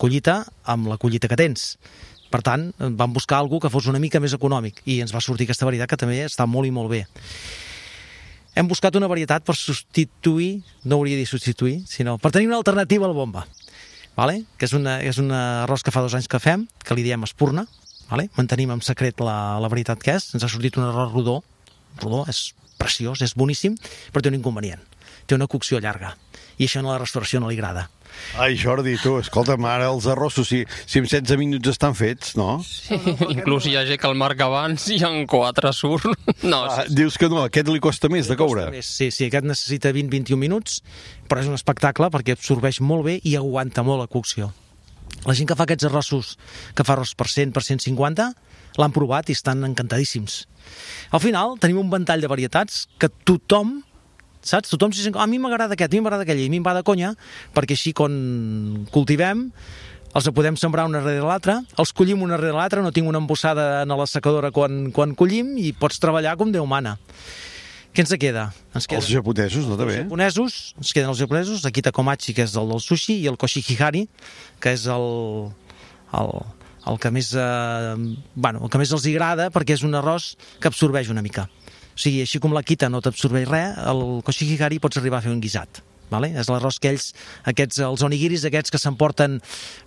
Speaker 7: collita amb la collita que tens. Per tant, vam buscar algú que fos una mica més econòmic i ens va sortir aquesta varietat que també està molt i molt bé. Hem buscat una varietat per substituir, no hauria de dir substituir, sinó per tenir una alternativa al bomba, que és un arròs que fa 2 anys que fem, que li diem espurna, mantenim en secret la varietat que és, ens ha sortit un arròs rodó, és preciós, és boníssim, però té un inconvenient, té una cocció llarga, i això a la restauració no li agrada.
Speaker 2: Ai, Jordi, tu, escolta'm, ara els arrossos, si en 16 minuts estan fets, no?
Speaker 6: Sí, inclús hi ha gent que el marca abans i en 4 surt. No,
Speaker 2: dius que no, aquest li costa més de coure.
Speaker 7: Sí, aquest necessita 20-21 minuts, però és un espectacle perquè absorbeix molt bé i aguanta molt la cocció. La gent que fa aquests arrossos, que fa arròs per 100, per 150, l'han provat i estan encantadíssims. Al final tenim un ventall de varietats que tothom s'hi sent, a mi m'agrada aquest, a mi m'agrada aquell, i a mi em va de conya, perquè així quan cultivem els podem sembrar una darrere l'altra, els collim una darrere l'altra, no tinc una embossada a la secadora quan collim i pots treballar com Déu mana. Què ens queda? Els
Speaker 2: japonesos, no també?
Speaker 7: Ens queden els japonesos, Akita Komachi, que és el del sushi, i el Koshihihari, que és el que més els agrada, perquè és un arròs que absorbeix una mica. O sigui, així com l'Akita no t'absorbeix res, el Koshihihari pots arribar a fer un guisat. És l'arròs que els onigiris aquests que s'emporten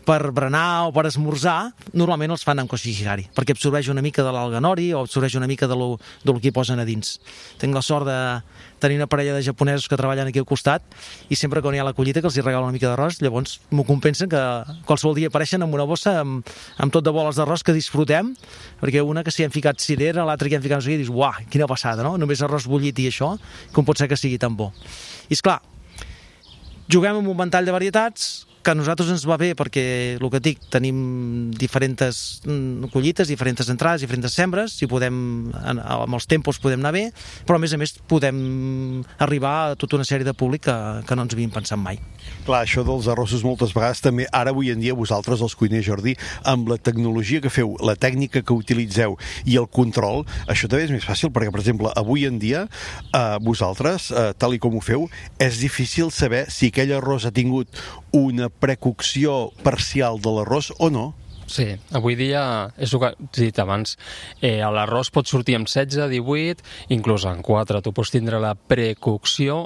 Speaker 7: per berenar o per esmorzar, normalment els fan amb Koshihihari, perquè absorbeix una mica de l'alga nori o absorbeix una mica del que hi posen a dins. Tinc la sort de tenir una parella de japonesos que treballen aquí al costat i sempre quan hi ha la collita que els hi regalo una mica d'arròs, llavors m'ho compensen que qualsevol dia apareixen amb una bossa amb tot de boles d'arròs que disfrutem, perquè una que s'hi han ficat cirera, l'altra que hi han ficat no sé què, i dius, uah, quina passada, no? Només arròs bullit i això, com pot ser que sigui tan bo? I esclar, juguem amb un ventall de varietats que a nosaltres ens va bé perquè, el que et dic, tenim diferents collites, diferents entrades, diferents sembres, i amb els tempos podem anar bé, però a més podem arribar a tota una sèrie de públic que no ens havíem pensat mai.
Speaker 2: Clar, això dels arrossos moltes vegades també, ara avui en dia vosaltres, els cuiners, Jordi, amb la tecnologia que feu, la tècnica que utilitzeu i el control, això també és més fàcil, perquè, per exemple, avui en dia, vosaltres, tal i com ho feu, és difícil saber si aquell arròs ha tingut una precocció parcial de l'arròs o no?
Speaker 6: Sí, avui dia, és el que he dit abans, l'arròs pot sortir amb 16, 18, inclús en 4. Tu pots tindre la precocció,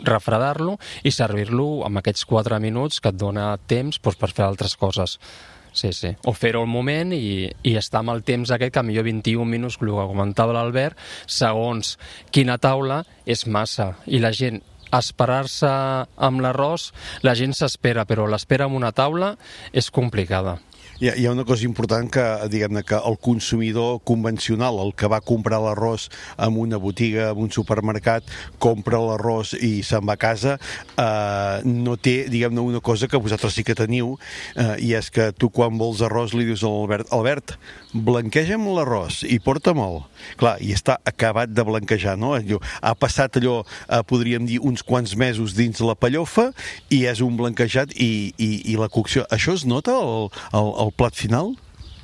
Speaker 6: refredar-lo i servir-lo amb aquests 4 minuts que et dona temps per fer altres coses. Sí. O fer-ho al moment i estar amb el temps aquest, que millor 21 minuts, el que comentava l'Albert, segons quina taula és massa. I la gent, esperar-se amb l'arròs, la gent s'espera, però l'espera amb una taula és complicada.
Speaker 2: Hi ha una cosa important que, diguem-ne, que el consumidor convencional, el que va comprar l'arròs en una botiga, en un supermercat, compra l'arròs i se'n va a casa, no té, diguem-ne, una cosa que vosaltres sí que teniu, i és que tu quan vols arròs li dius a l'Albert, blanqueja'm l'arròs i porta-me'l. Clar, i està acabat de blanquejar, no? Ha passat allò, podríem dir, uns quants mesos dins la pellofa i és un blanquejat i la cocció. Això es nota al plat final?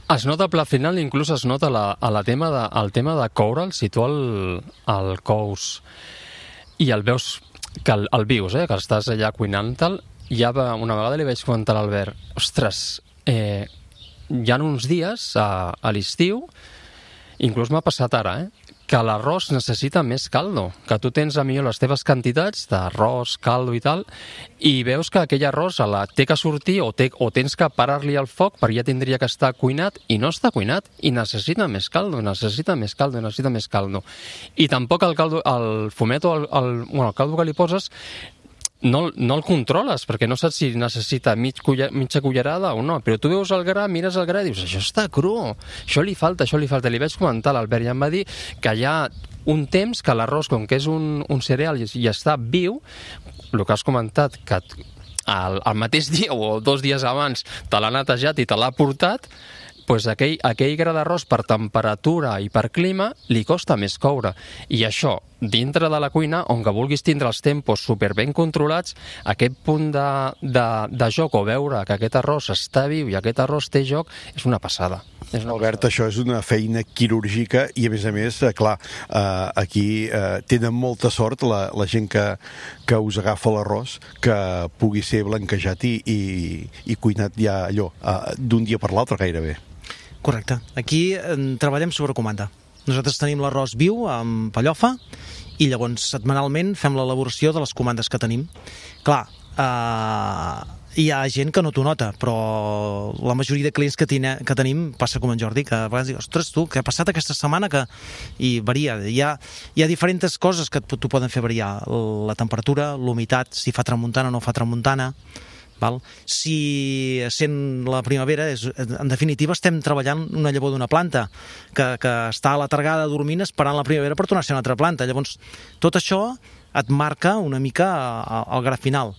Speaker 6: Es nota el plat final, inclús es nota el tema de coure'l, si tu el cous i el veus, que el vius, que estàs allà cuinant-te'l. Una vegada li vaig comentar a l'Albert, ostres, hi ha uns dies a l'estiu, inclús m'ha passat ara, que l'arròs necessita més caldo, que tu tens a millor les teves quantitats d'arròs, caldo i tal, i veus que aquell arròs té que sortir o tens que parar-li el foc perquè ja tindria que estar cuinat i no està cuinat i necessita més caldo, necessita més caldo. I tampoc el caldo, el fumet o el caldo que li poses no el controles, perquè no saps si necessita mitja cullerada o no, però tu veus el gra, mires el gra i dius, això està cru, això li falta. Li vaig comentar a l'Albert i em va dir que hi ha un temps que l'arròs, com que és un cereal i està viu, el que has comentat, que el mateix dia o 2 dies abans te l'ha netejat i te l'ha portat, doncs aquell gra d'arròs per temperatura i per clima li costa més coure. I això, dintre de la cuina, on que vulguis tindre els tempos super ben controlats, aquest punt de joc o veure que aquest arròs està viu i aquest arròs té joc, és una passada.
Speaker 2: Albert, això és una feina quirúrgica i, a més, clar, aquí tenen molta sort la gent que us agafa l'arròs, que pugui ser blanquejat i cuinat ja allò, d'un dia per l'altre gairebé.
Speaker 7: Correcte. Aquí treballem sobre comanda. Nosaltres tenim l'arròs viu amb pellofa i llavors setmanalment fem l'elaboració de les comandes que tenim. Clar, hi ha gent que no t'ho nota, però la majoria de clients que tenim passa com en Jordi, que a vegades diu, ostres, tu, què ha passat aquesta setmana? I varia. Hi ha diferents coses que t'ho poden fer variar. La temperatura, l'humitat, si fa tramuntana o no fa tramuntana. Si sent la primavera, en definitiva estem treballant una llavor d'una planta que està aletargada dormint esperant la primavera per tornar a ser una altra planta. Llavors, tot això et marca una mica el gra final.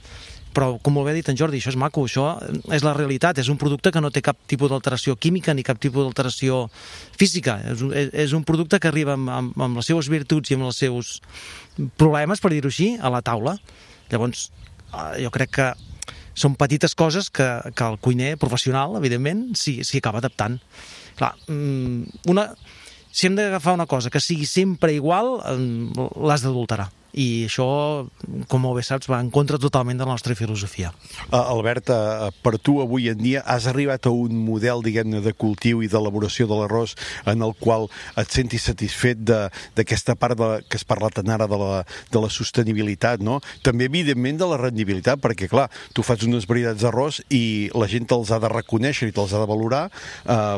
Speaker 7: Però, com molt bé ha dit en Jordi, això és maco, això és la realitat, és un producte que no té cap tipus d'alteració química ni cap tipus d'alteració física. És un producte que arriba amb les seues virtuts i amb els seus problemes, per dir-ho així, a la taula. Llavors, jo crec que són petites coses que el cuiner professional, evidentment, s'hi acaba adaptant. Clar, si hem d'agafar una cosa que sigui sempre igual, l'has d'adulterar. I això, com molt bé saps, va en contra totalment de la nostra filosofia.
Speaker 2: Albert, per tu avui en dia has arribat a un model, diguem-ne, de cultiu i d'elaboració de l'arròs en el qual et sentis satisfet d'aquesta part que has parlat tant ara de la sostenibilitat, no? També, evidentment, de la rendibilitat, perquè, clar, tu fas unes varietats d'arròs i la gent te'ls ha de reconèixer i te'ls ha de valorar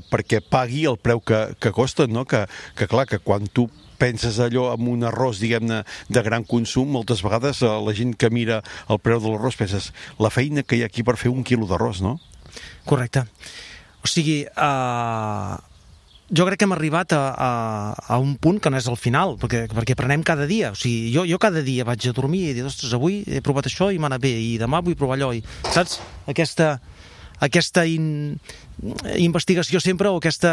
Speaker 2: perquè pagui el preu que costen, no? Que clar, que quan tu penses allò amb un arròs, diguem-ne, de gran consum, moltes vegades la gent que mira el preu de l'arròs penses la feina que hi ha aquí per fer 1 quilo d'arròs, no?
Speaker 7: Correcte. O sigui, jo crec que hem arribat a un punt que no és el final, perquè aprenem cada dia. O sigui, jo cada dia vaig a dormir i dic, ostres, avui he provat això i m'ha anat bé, i demà vull provar allò. Saps? Aquesta investigació sempre, o aquesta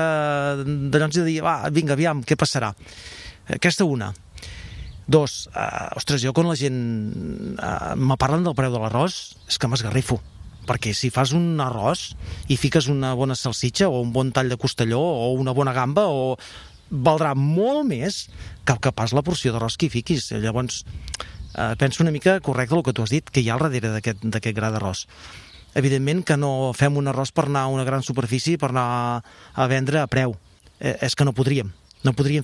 Speaker 7: d'allò de dir, vinga, aviam, què passarà? Aquesta una. 2, ostres, jo quan la gent me parlen del preu de l'arròs és que m'esgarrifo, perquè si fas un arròs i fiques una bona salsitxa o un bon tall de costelló o una bona gamba, valdrà molt més que pas la porció d'arròs que hi fiquis. Llavors penso una mica correcte el que tu has dit, que hi ha al darrere d'aquest gra d'arròs. Evidentment que no fem un arròs per anar a una gran superfície, per anar a vendre a preu. És que no podríem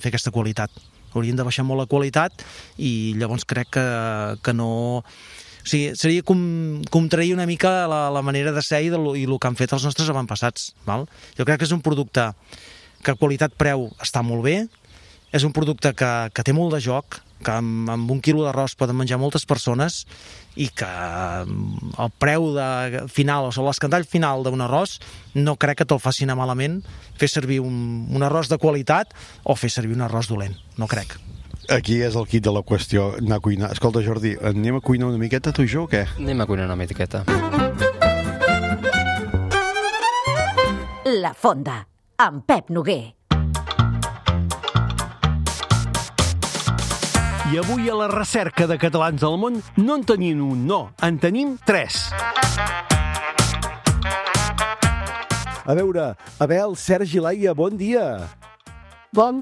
Speaker 7: fer aquesta qualitat. Hauríem de baixar molt la qualitat i llavors crec que no... O sigui, seria com trair una mica la manera de ser i el que han fet els nostres avantpassats. Jo crec que és un producte que qualitat-preu està molt bé, és un producte que té molt de joc, que amb 1 quilo d'arròs poden menjar moltes persones i que el preu final, o sigui, l'escandall final d'un arròs no crec que te'l faci anar malament fer servir un arròs de qualitat o fer servir un arròs dolent, no crec.
Speaker 2: Aquí és el quid de la qüestió, anar a cuinar. Escolta, Jordi, anem a cuinar una miqueta tu i jo o què?
Speaker 6: Anem a cuinar una miqueta.
Speaker 1: La Fonda, amb Pep Noguer.
Speaker 2: I avui a la recerca de catalans del món no en tenim un, no, en tenim 3. A veure, Abel, Sergi, Laia, bon dia.
Speaker 8: Bon.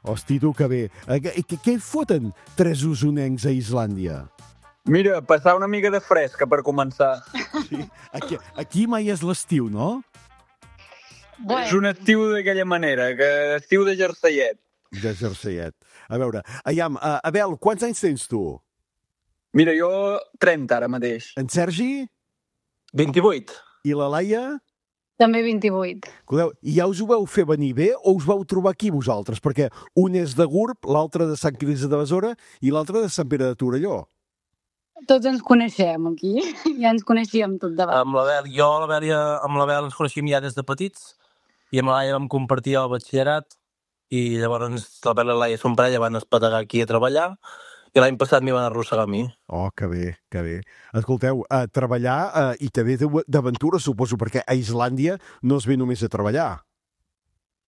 Speaker 2: Hosti, tu, que bé. Què foten 3 usonencs a Islàndia?
Speaker 8: Mira, passar una mica de fresca per començar.
Speaker 2: Sí? Aquí mai és l'estiu, no?
Speaker 8: És un estiu d'aquella manera, que estiu de jerseiet.
Speaker 2: De jerseiet. A veure, Abel, quants anys tens tu?
Speaker 8: Mira, jo 30 ara mateix.
Speaker 2: En Sergi?
Speaker 8: 28.
Speaker 2: I la Laia?
Speaker 9: També 28.
Speaker 2: Escolteu, i ja us ho vau fer venir bé o us vau trobar aquí vosaltres? Perquè un és de Gurb, l'altre de Sant Quirze de Besora i l'altre de Sant Pere de Torelló.
Speaker 9: Tots ens coneixem aquí, ja ens coneixíem tot davant.
Speaker 10: Amb l'Abel ens coneixíem ja des de petits i amb la Laia vam compartir el batxillerat i llavors l'Abel i la Laia, son parella, van espetegar aquí a treballar i l'any passat m'hi van arrossegar a mi.
Speaker 2: Oh, que bé, que bé. Escolteu, a treballar i també d'aventura, suposo, perquè a Islàndia no es ve només a treballar.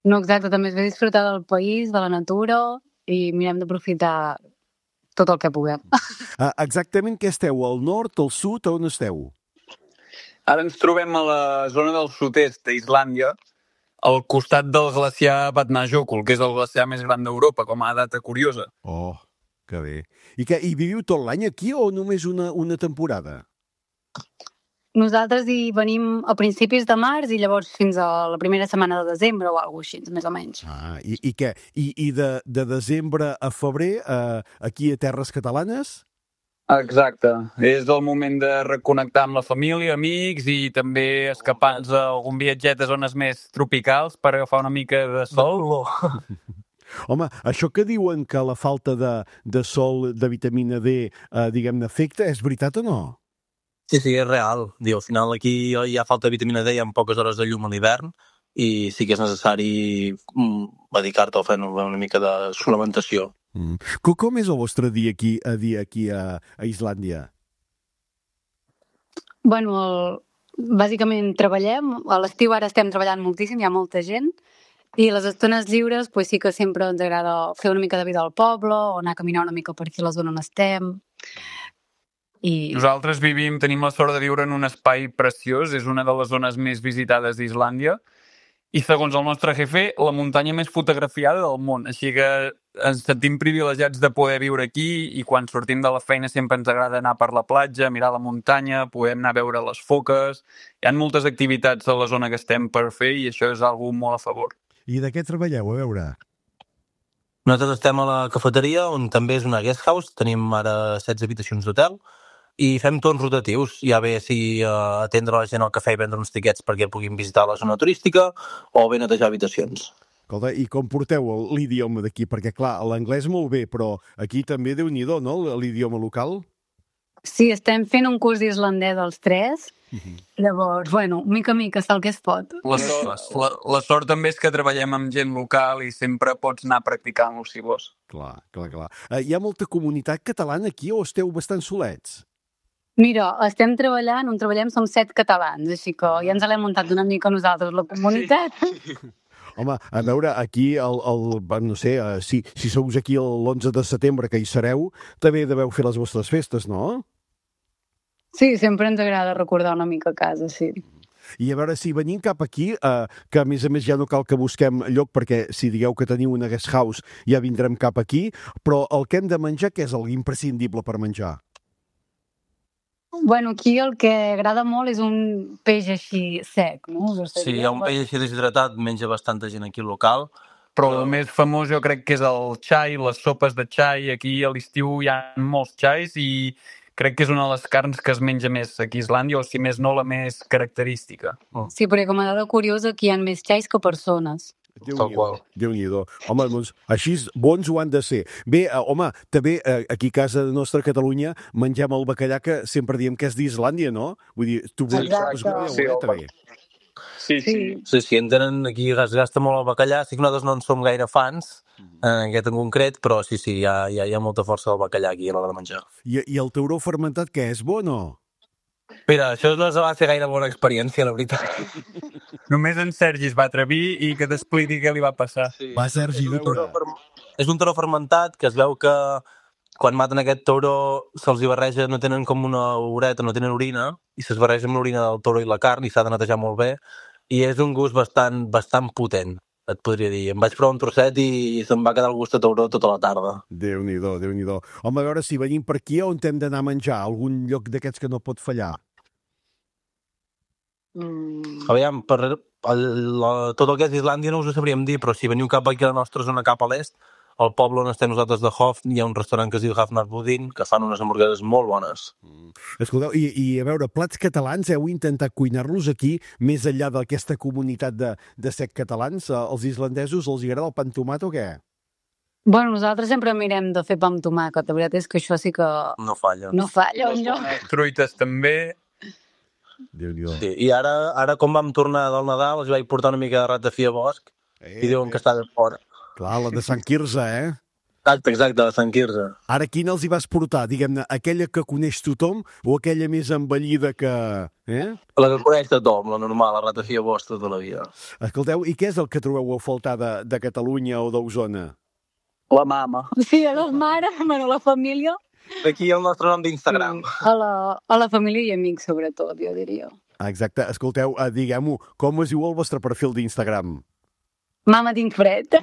Speaker 9: No, exacte, també es ve a disfrutar del país, de la natura i mirem d'aprofitar tot el que puguem.
Speaker 2: Exactament què esteu? Al nord, al sud, on esteu?
Speaker 8: Ara ens trobem a la zona del sud-est d'Islàndia, al costat del glaciar Vatnajökull, que és el glaciar més gran d'Europa, com a data curiosa.
Speaker 2: Oh, que bé. I viviu tot l'any aquí o només una temporada?
Speaker 9: Nosaltres hi venim a principis de març i llavors fins a la primera setmana de desembre o alguna cosa així, més o menys.
Speaker 2: I què? I de desembre a febrer aquí a Terres Catalanes?
Speaker 8: Exacte. És el moment de reconnectar amb la família, amics i també escapar-nos a algun viatget a zones més tropicals per agafar una mica de sol.
Speaker 2: Home, això que diuen que la falta de sol, de vitamina D, diguem-ne, afecta, és veritat o no?
Speaker 10: Sí, és real. Al final aquí hi ha falta de vitamina D, hi ha poques hores de llum a l'hivern i sí que és necessari dedicar-te a fer una mica de suplementació.
Speaker 2: Com és el vostre dia aquí a Islàndia?
Speaker 9: Bueno, bàsicament treballem. A l'estiu ara estem treballant moltíssim, hi ha molta gent. I les estones lliures pues sí que sempre ens agrada fer una mica de vida al poble o anar a caminar una mica per aquí a la zona on estem.
Speaker 8: Nosaltres tenim la sort de viure en un espai preciós, és una de les zones més visitades d'Islàndia i segons el nostre jefe, la muntanya més fotografiada del món, així que ens sentim privilegiats de poder viure aquí i quan sortim de la feina sempre ens agrada anar per la platja, mirar la muntanya, podem anar a veure les foques, hi ha moltes activitats a la zona que estem per fer i això és algo molt a favor.
Speaker 2: I de què treballeu, a veure?
Speaker 10: Nosaltres estem a la cafeteria, on també és una guest house, tenim ara 16 habitacions d'hotel, i fem torns rotatius, ja bé si atendre la gent al cafè i vendre uns tiquets perquè puguin visitar la zona turística o bé netejar habitacions.
Speaker 2: Escolta, i com porteu l'idioma d'aquí? Perquè, clar, l'anglès molt bé, però aquí també déu-n'hi-do, no?, l'idioma local?
Speaker 9: Sí, estem fent un curs d'islandès als 3. Llavors, bueno, mica en mica, el que es pot.
Speaker 8: La sort també és que treballem amb gent local i sempre pots anar practicant-lo, si vols.
Speaker 2: Clar. Hi ha molta comunitat catalana aquí o esteu bastant solets?
Speaker 9: Mira, estem treballant, on treballem som 7 catalans, així que ja ens l'hem muntat una mica nosaltres, la comunitat.
Speaker 2: Home, a veure, aquí, no sé, si sou aquí l'11 de setembre, que hi sereu, també deveu fer les vostres festes, no?
Speaker 9: Sí, sempre ens agrada recordar una mica a casa, sí.
Speaker 2: I a veure, si venim cap aquí, que a més ja no cal que busquem lloc, perquè si digueu que teniu una guest house ja vindrem cap aquí, però el que hem de menjar, què és el imprescindible per menjar?
Speaker 9: Bueno, aquí el que agrada molt és un peix així sec, no?
Speaker 10: Sí, hi ha un peix així deshidratat, menja bastanta gent aquí local.
Speaker 8: Però el més famós jo crec que és el xai, les sopes de xai. Aquí a l'estiu hi ha molts xais i crec que és una de les carns que es menja més aquí a Islàndia, o si més no la més característica.
Speaker 9: Sí, perquè com a dada curiosa aquí hi ha més xais que persones.
Speaker 2: Déu-n'hi-do. Home, doncs, així bons ho han de ser. Bé, home, també aquí a casa nostra, a Catalunya, mengem el bacallà que sempre diem que és d'Islàndia, no? Vull dir, tu també.
Speaker 10: Sí, en tenen aquí, es gasta molt el bacallà, sí que nosaltres no en som gaire fans, en aquest en concret, però sí, hi ha molta força del bacallà aquí a l'hora de menjar.
Speaker 2: I el tauró fermentat, què és, bo o no?
Speaker 10: Mira, això no va ser gaire bona experiència, la veritat.
Speaker 8: Només en Sergi es va atrevir i que t'expliqui què li va passar.
Speaker 10: Sí.
Speaker 3: Va, Sergi,
Speaker 10: És un tauró fermentat que es veu que quan maten aquest tauró se'ls hi barreja, no tenen com una ureta, no tenen orina, i se'ls barreja amb l'orina del tauró i la carn i s'ha de netejar molt bé, i és un gust bastant potent, et podria dir. Em vaig provar un trosset i se'm va quedar el gust de tauró tota la tarda.
Speaker 2: Déu-n'hi-do. Home, a veure, si venim per aquí, on hem d'anar a menjar? Algun lloc d'aquests que no pot fallar?
Speaker 10: Aviam, tot el que és Islàndia no us ho sabríem dir, però si veniu cap aquí a la nostra zona, cap a l'est, al poble on estem nosaltres de Hof, hi ha un restaurant que es diu Hafnarbudin, que fan unes hamburgueses molt bones.
Speaker 2: Escolteu, i a veure, plats catalans, heu intentat cuinar-los aquí, més enllà d'aquesta comunitat de sec catalans? Els islandesos els agrada el pa amb tomat o què?
Speaker 9: Bueno, nosaltres sempre mirem de fer pa amb tomàquet. La veritat és que això sí que...
Speaker 10: No falla.
Speaker 9: No falla, no?
Speaker 8: Truites també.
Speaker 2: Déu-n'hi-do.
Speaker 10: Sí, i ara com vam tornar del Nadal, els vaig portar una mica de ratafia a bosc i diuen que està de fora.
Speaker 2: Clar, la de Sant Quirze,
Speaker 10: Exacte, de Sant Quirze.
Speaker 2: Ara, quina els hi vas portar? Diguem-ne, aquella que coneix tothom o aquella més envellida que...
Speaker 10: La que coneix tothom, la normal, la ratafia bosc tota la vida.
Speaker 2: Escolteu, i què és el que trobeu a faltar de Catalunya o d'Osona?
Speaker 8: La mama.
Speaker 9: Sí, a la mare, a la família.
Speaker 10: Aquí el nostre nom d'Instagram.
Speaker 9: A la família i amics, sobretot, jo diria.
Speaker 2: Exacte. Escolteu, diguem-ho, com es diu el vostre perfil d'Instagram?
Speaker 9: Mama, tinc fred.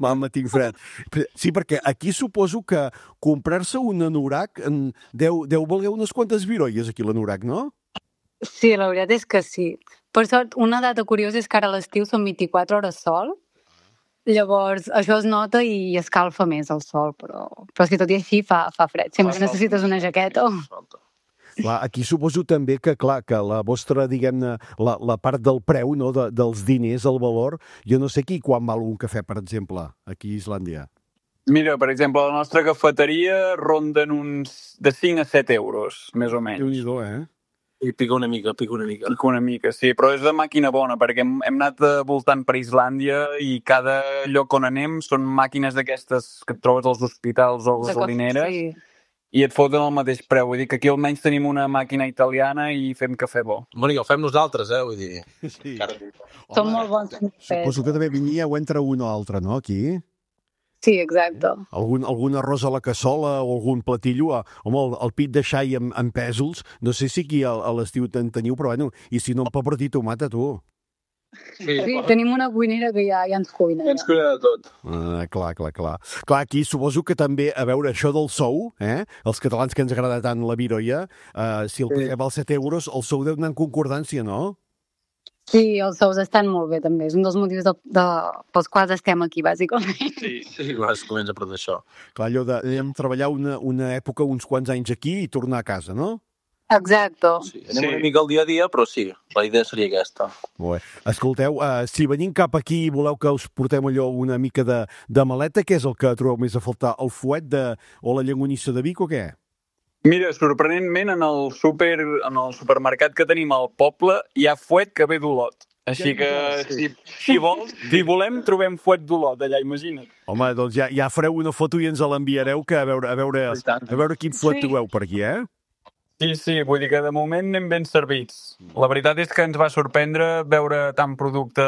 Speaker 2: Mama, tinc fred. Sí, perquè aquí suposo que comprar-se un anorac deu valer unes quantes virolles aquí l'anorac, no?
Speaker 9: Sí, la veritat és que sí. Per sort, una data curiosa és que ara a l'estiu són 24 hores sol. Llavors, això es nota i escalfa més el sol, però si tot i així fa fred. Sempre necessites una jaqueta.
Speaker 2: Clar, aquí suposo també que, clar, que la vostra, diguem-ne, la part del preu, no, dels diners, el valor, jo no sé quan val un cafè, per exemple, aquí a Islàndia.
Speaker 8: Mira, per exemple, la nostra cafeteria ronden uns de 5 a 7 euros, més o menys.
Speaker 2: Déu-n'hi-do,
Speaker 10: I pica una mica.
Speaker 8: Pica una mica, sí, però és de màquina bona, perquè hem anat voltant per Islàndia i cada lloc on anem són màquines d'aquestes que et trobes als hospitals o a les gasolineres. Sí. I et foten el mateix preu. Vull dir que aquí almenys tenim una màquina italiana i fem cafè bo.
Speaker 10: Bueno, i el fem nosaltres, vull dir.
Speaker 2: Sí.
Speaker 9: Són molt bons.
Speaker 2: Suposo que també vinieu entre un o altre, no, aquí?
Speaker 9: Sí, exacte.
Speaker 2: Algun arròs a la cassola o algun platillo. Home, el pit de xai amb pèsols, no sé si aquí a l'estiu en teniu, però bueno, i si no, pebrot i tomata, tu.
Speaker 9: Sí, tenim una cuinera que ja ens cuina.
Speaker 10: Ja ens cuina de tot.
Speaker 2: Clar. Clar, aquí suposo que també, a veure, això del sou, els catalans que ens agrada tant la virolla, si el paguem als 7 euros, el sou deu anar en concordància, no?
Speaker 9: Sí, els sous estan molt bé, també. És un dels motius pels quals estem aquí, bàsicament.
Speaker 10: Sí, es comença per això.
Speaker 2: Clar, allò de treballar una època, uns quants anys aquí i tornar a casa, no?
Speaker 9: Exacte.
Speaker 10: Sí, anem una mica al dia a dia, però sí, la idea seria aquesta.
Speaker 2: Bé. Escolteu, si venim cap aquí i voleu que us portem allò una mica de maleta, què és el que trobeu més a faltar? El fuet o la llangonissa de Vic o què?
Speaker 8: Mira, sorprenentment, en el supermercat que tenim al poble hi ha fuet que ve d'Olot. Així que, si vols, si volem, trobem fuet d'Olot allà, imagina't.
Speaker 2: Home, doncs ja fareu una foto i ens l'enviareu, que a veure quin fuet trobeu per aquí,
Speaker 8: Sí, vull dir que de moment anem ben servits. La veritat és que ens va sorprendre veure tant producte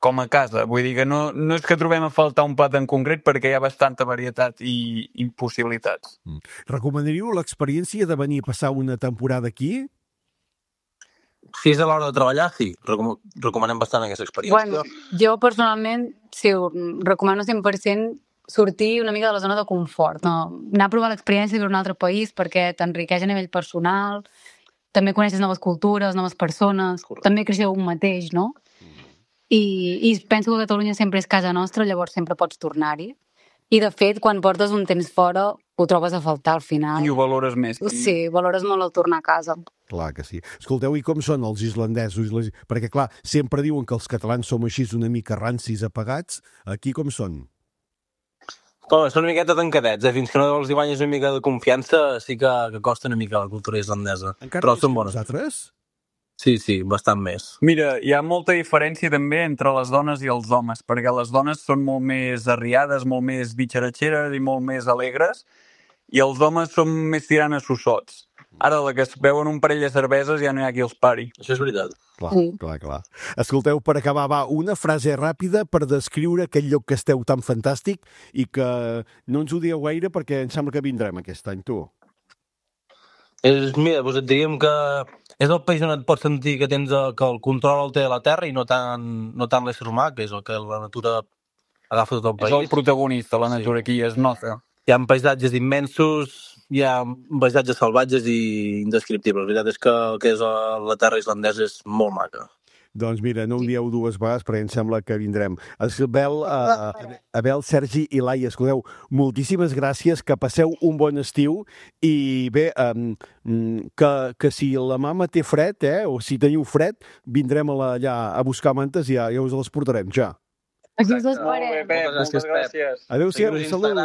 Speaker 8: com a casa. Vull dir que no és que trobem a faltar un plat en concret perquè hi ha bastanta varietat i possibilitats.
Speaker 2: Recomanaríeu l'experiència de venir a passar una temporada aquí?
Speaker 10: Si és a l'hora de treballar, sí. Recomanem bastant aquesta experiència.
Speaker 9: Bueno, jo personalment, sí, recomano 100% sortir una mica de la zona de confort, no? Anar a provar l'experiència d'un altre país perquè t'enriqueix a nivell personal, també coneixes noves cultures, noves persones, també creixeu un mateix, no? I penso que Catalunya sempre és casa nostra, llavors sempre pots tornar-hi. I, de fet, quan portes un temps fora, ho trobes a faltar al final.
Speaker 8: I ho valores més.
Speaker 9: Sí, valores molt el tornar a casa.
Speaker 11: Clar que sí. Escolteu, i com són els islandesos? Perquè, clar, sempre diuen que els catalans som així una mica rancis, apagats. Aquí com són?
Speaker 10: Són una miqueta tancadets, fins que no els hi guanyes una mica de confiança, sí que costa una mica la cultura islandesa. Però són bones.
Speaker 11: Vosaltres?
Speaker 10: Sí, bastant més.
Speaker 8: Mira, hi ha molta diferència també entre les dones i els homes, perquè les dones són molt més arriades, molt més bitxaratxeres i molt més alegres, i els homes són més tirant a sossots. Ara, la que es beuen un parell de cerveses ja no hi ha qui els pari.
Speaker 10: Això és veritat.
Speaker 11: Clar. Escolteu, per acabar, una frase ràpida per descriure aquell lloc que esteu tan fantàstic i que no ens ho dieu gaire perquè em sembla que vindrem aquest any, tu.
Speaker 10: Mira, et diríem que és el país on et pots sentir que que el control el té la terra i no tant l'ésser humà, que és el que la natura agafa tot el país.
Speaker 8: És el protagonista, la natura aquí es nota.
Speaker 10: Hi ha paisatges immensos, hi ha paisatges salvatges i indescriptibles. La veritat és que el que és la terra islandesa és molt maca.
Speaker 11: Doncs mira, no ho dieu dues vegades perquè em sembla que vindrem. Abel, Sergi i Laia, escolteu, moltíssimes gràcies, que passeu un bon estiu i bé, que si la mama té fred, o si teniu fred, vindrem allà a buscar mantes i ja us les portarem, ja.
Speaker 9: Aquí us esperem.
Speaker 8: Moltes gràcies.
Speaker 11: Adéu-siau, salut.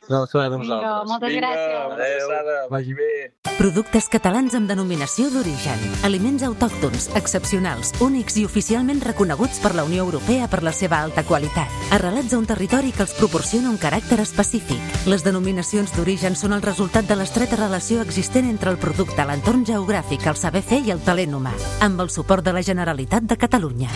Speaker 9: Moltes gràcies.
Speaker 8: Adéu, vagi bé.
Speaker 1: Productes catalans amb denominació d'origen. Aliments autòctons, excepcionals, únics i oficialment reconeguts per la Unió Europea per la seva alta qualitat. Arrelats a un territori que els proporciona un caràcter específic. Les denominacions d'origen són el resultat de l'estreta relació existent entre el producte, l'entorn geogràfic, el saber fer i el talent humà. Amb el suport de la Generalitat de Catalunya.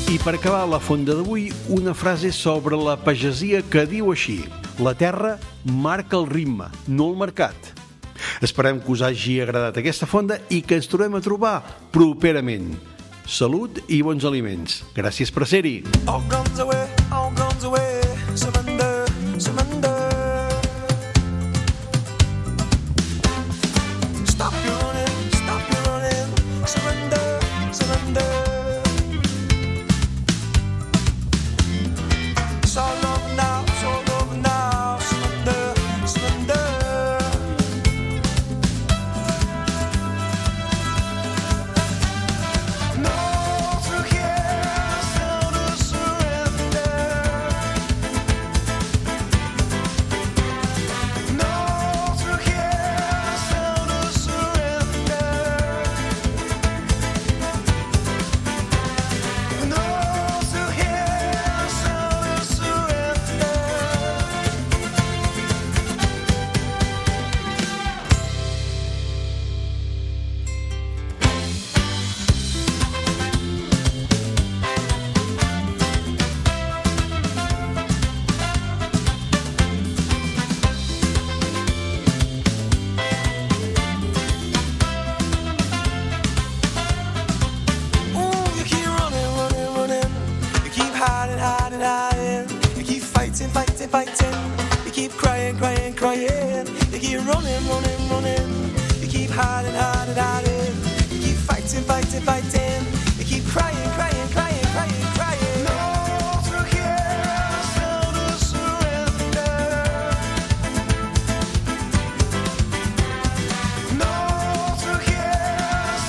Speaker 2: I per acabar la fonda d'avui, una frase sobre la pagesia que diu així: la terra marca el ritme, no el mercat. Esperem que us hagi agradat aquesta fonda i que ens tornem a trobar properament. Salut i bons aliments. Gràcies per ser-hi.
Speaker 12: All guns away, surrender, surrender. Stop your running, surrender, surrender. It's all over now, surrender, surrender. No, through here, sound of surrender. No, through here, sound of surrender. No, through here, sound of surrender. Ooh, you keep running. You keep hiding. You keep fighting. You keep crying. You keep running. You keep hiding. You keep fighting. You keep crying. No, through here, sound of surrender. No, through here,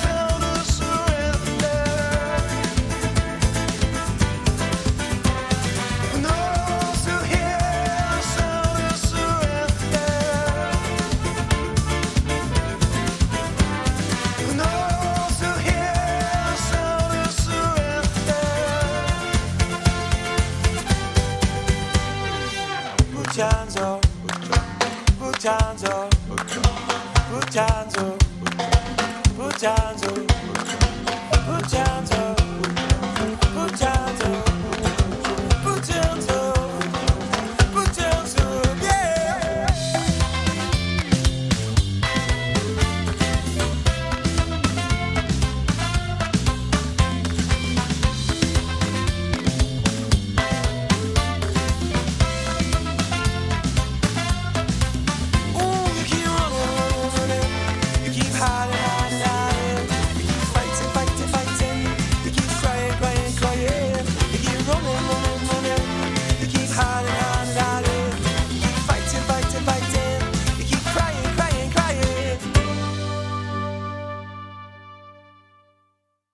Speaker 12: sound of surrender. No, through here, sound of surrender. No, through here, sound of surrender. Put your hands up, put your hands up, put your hands up, put your hands up.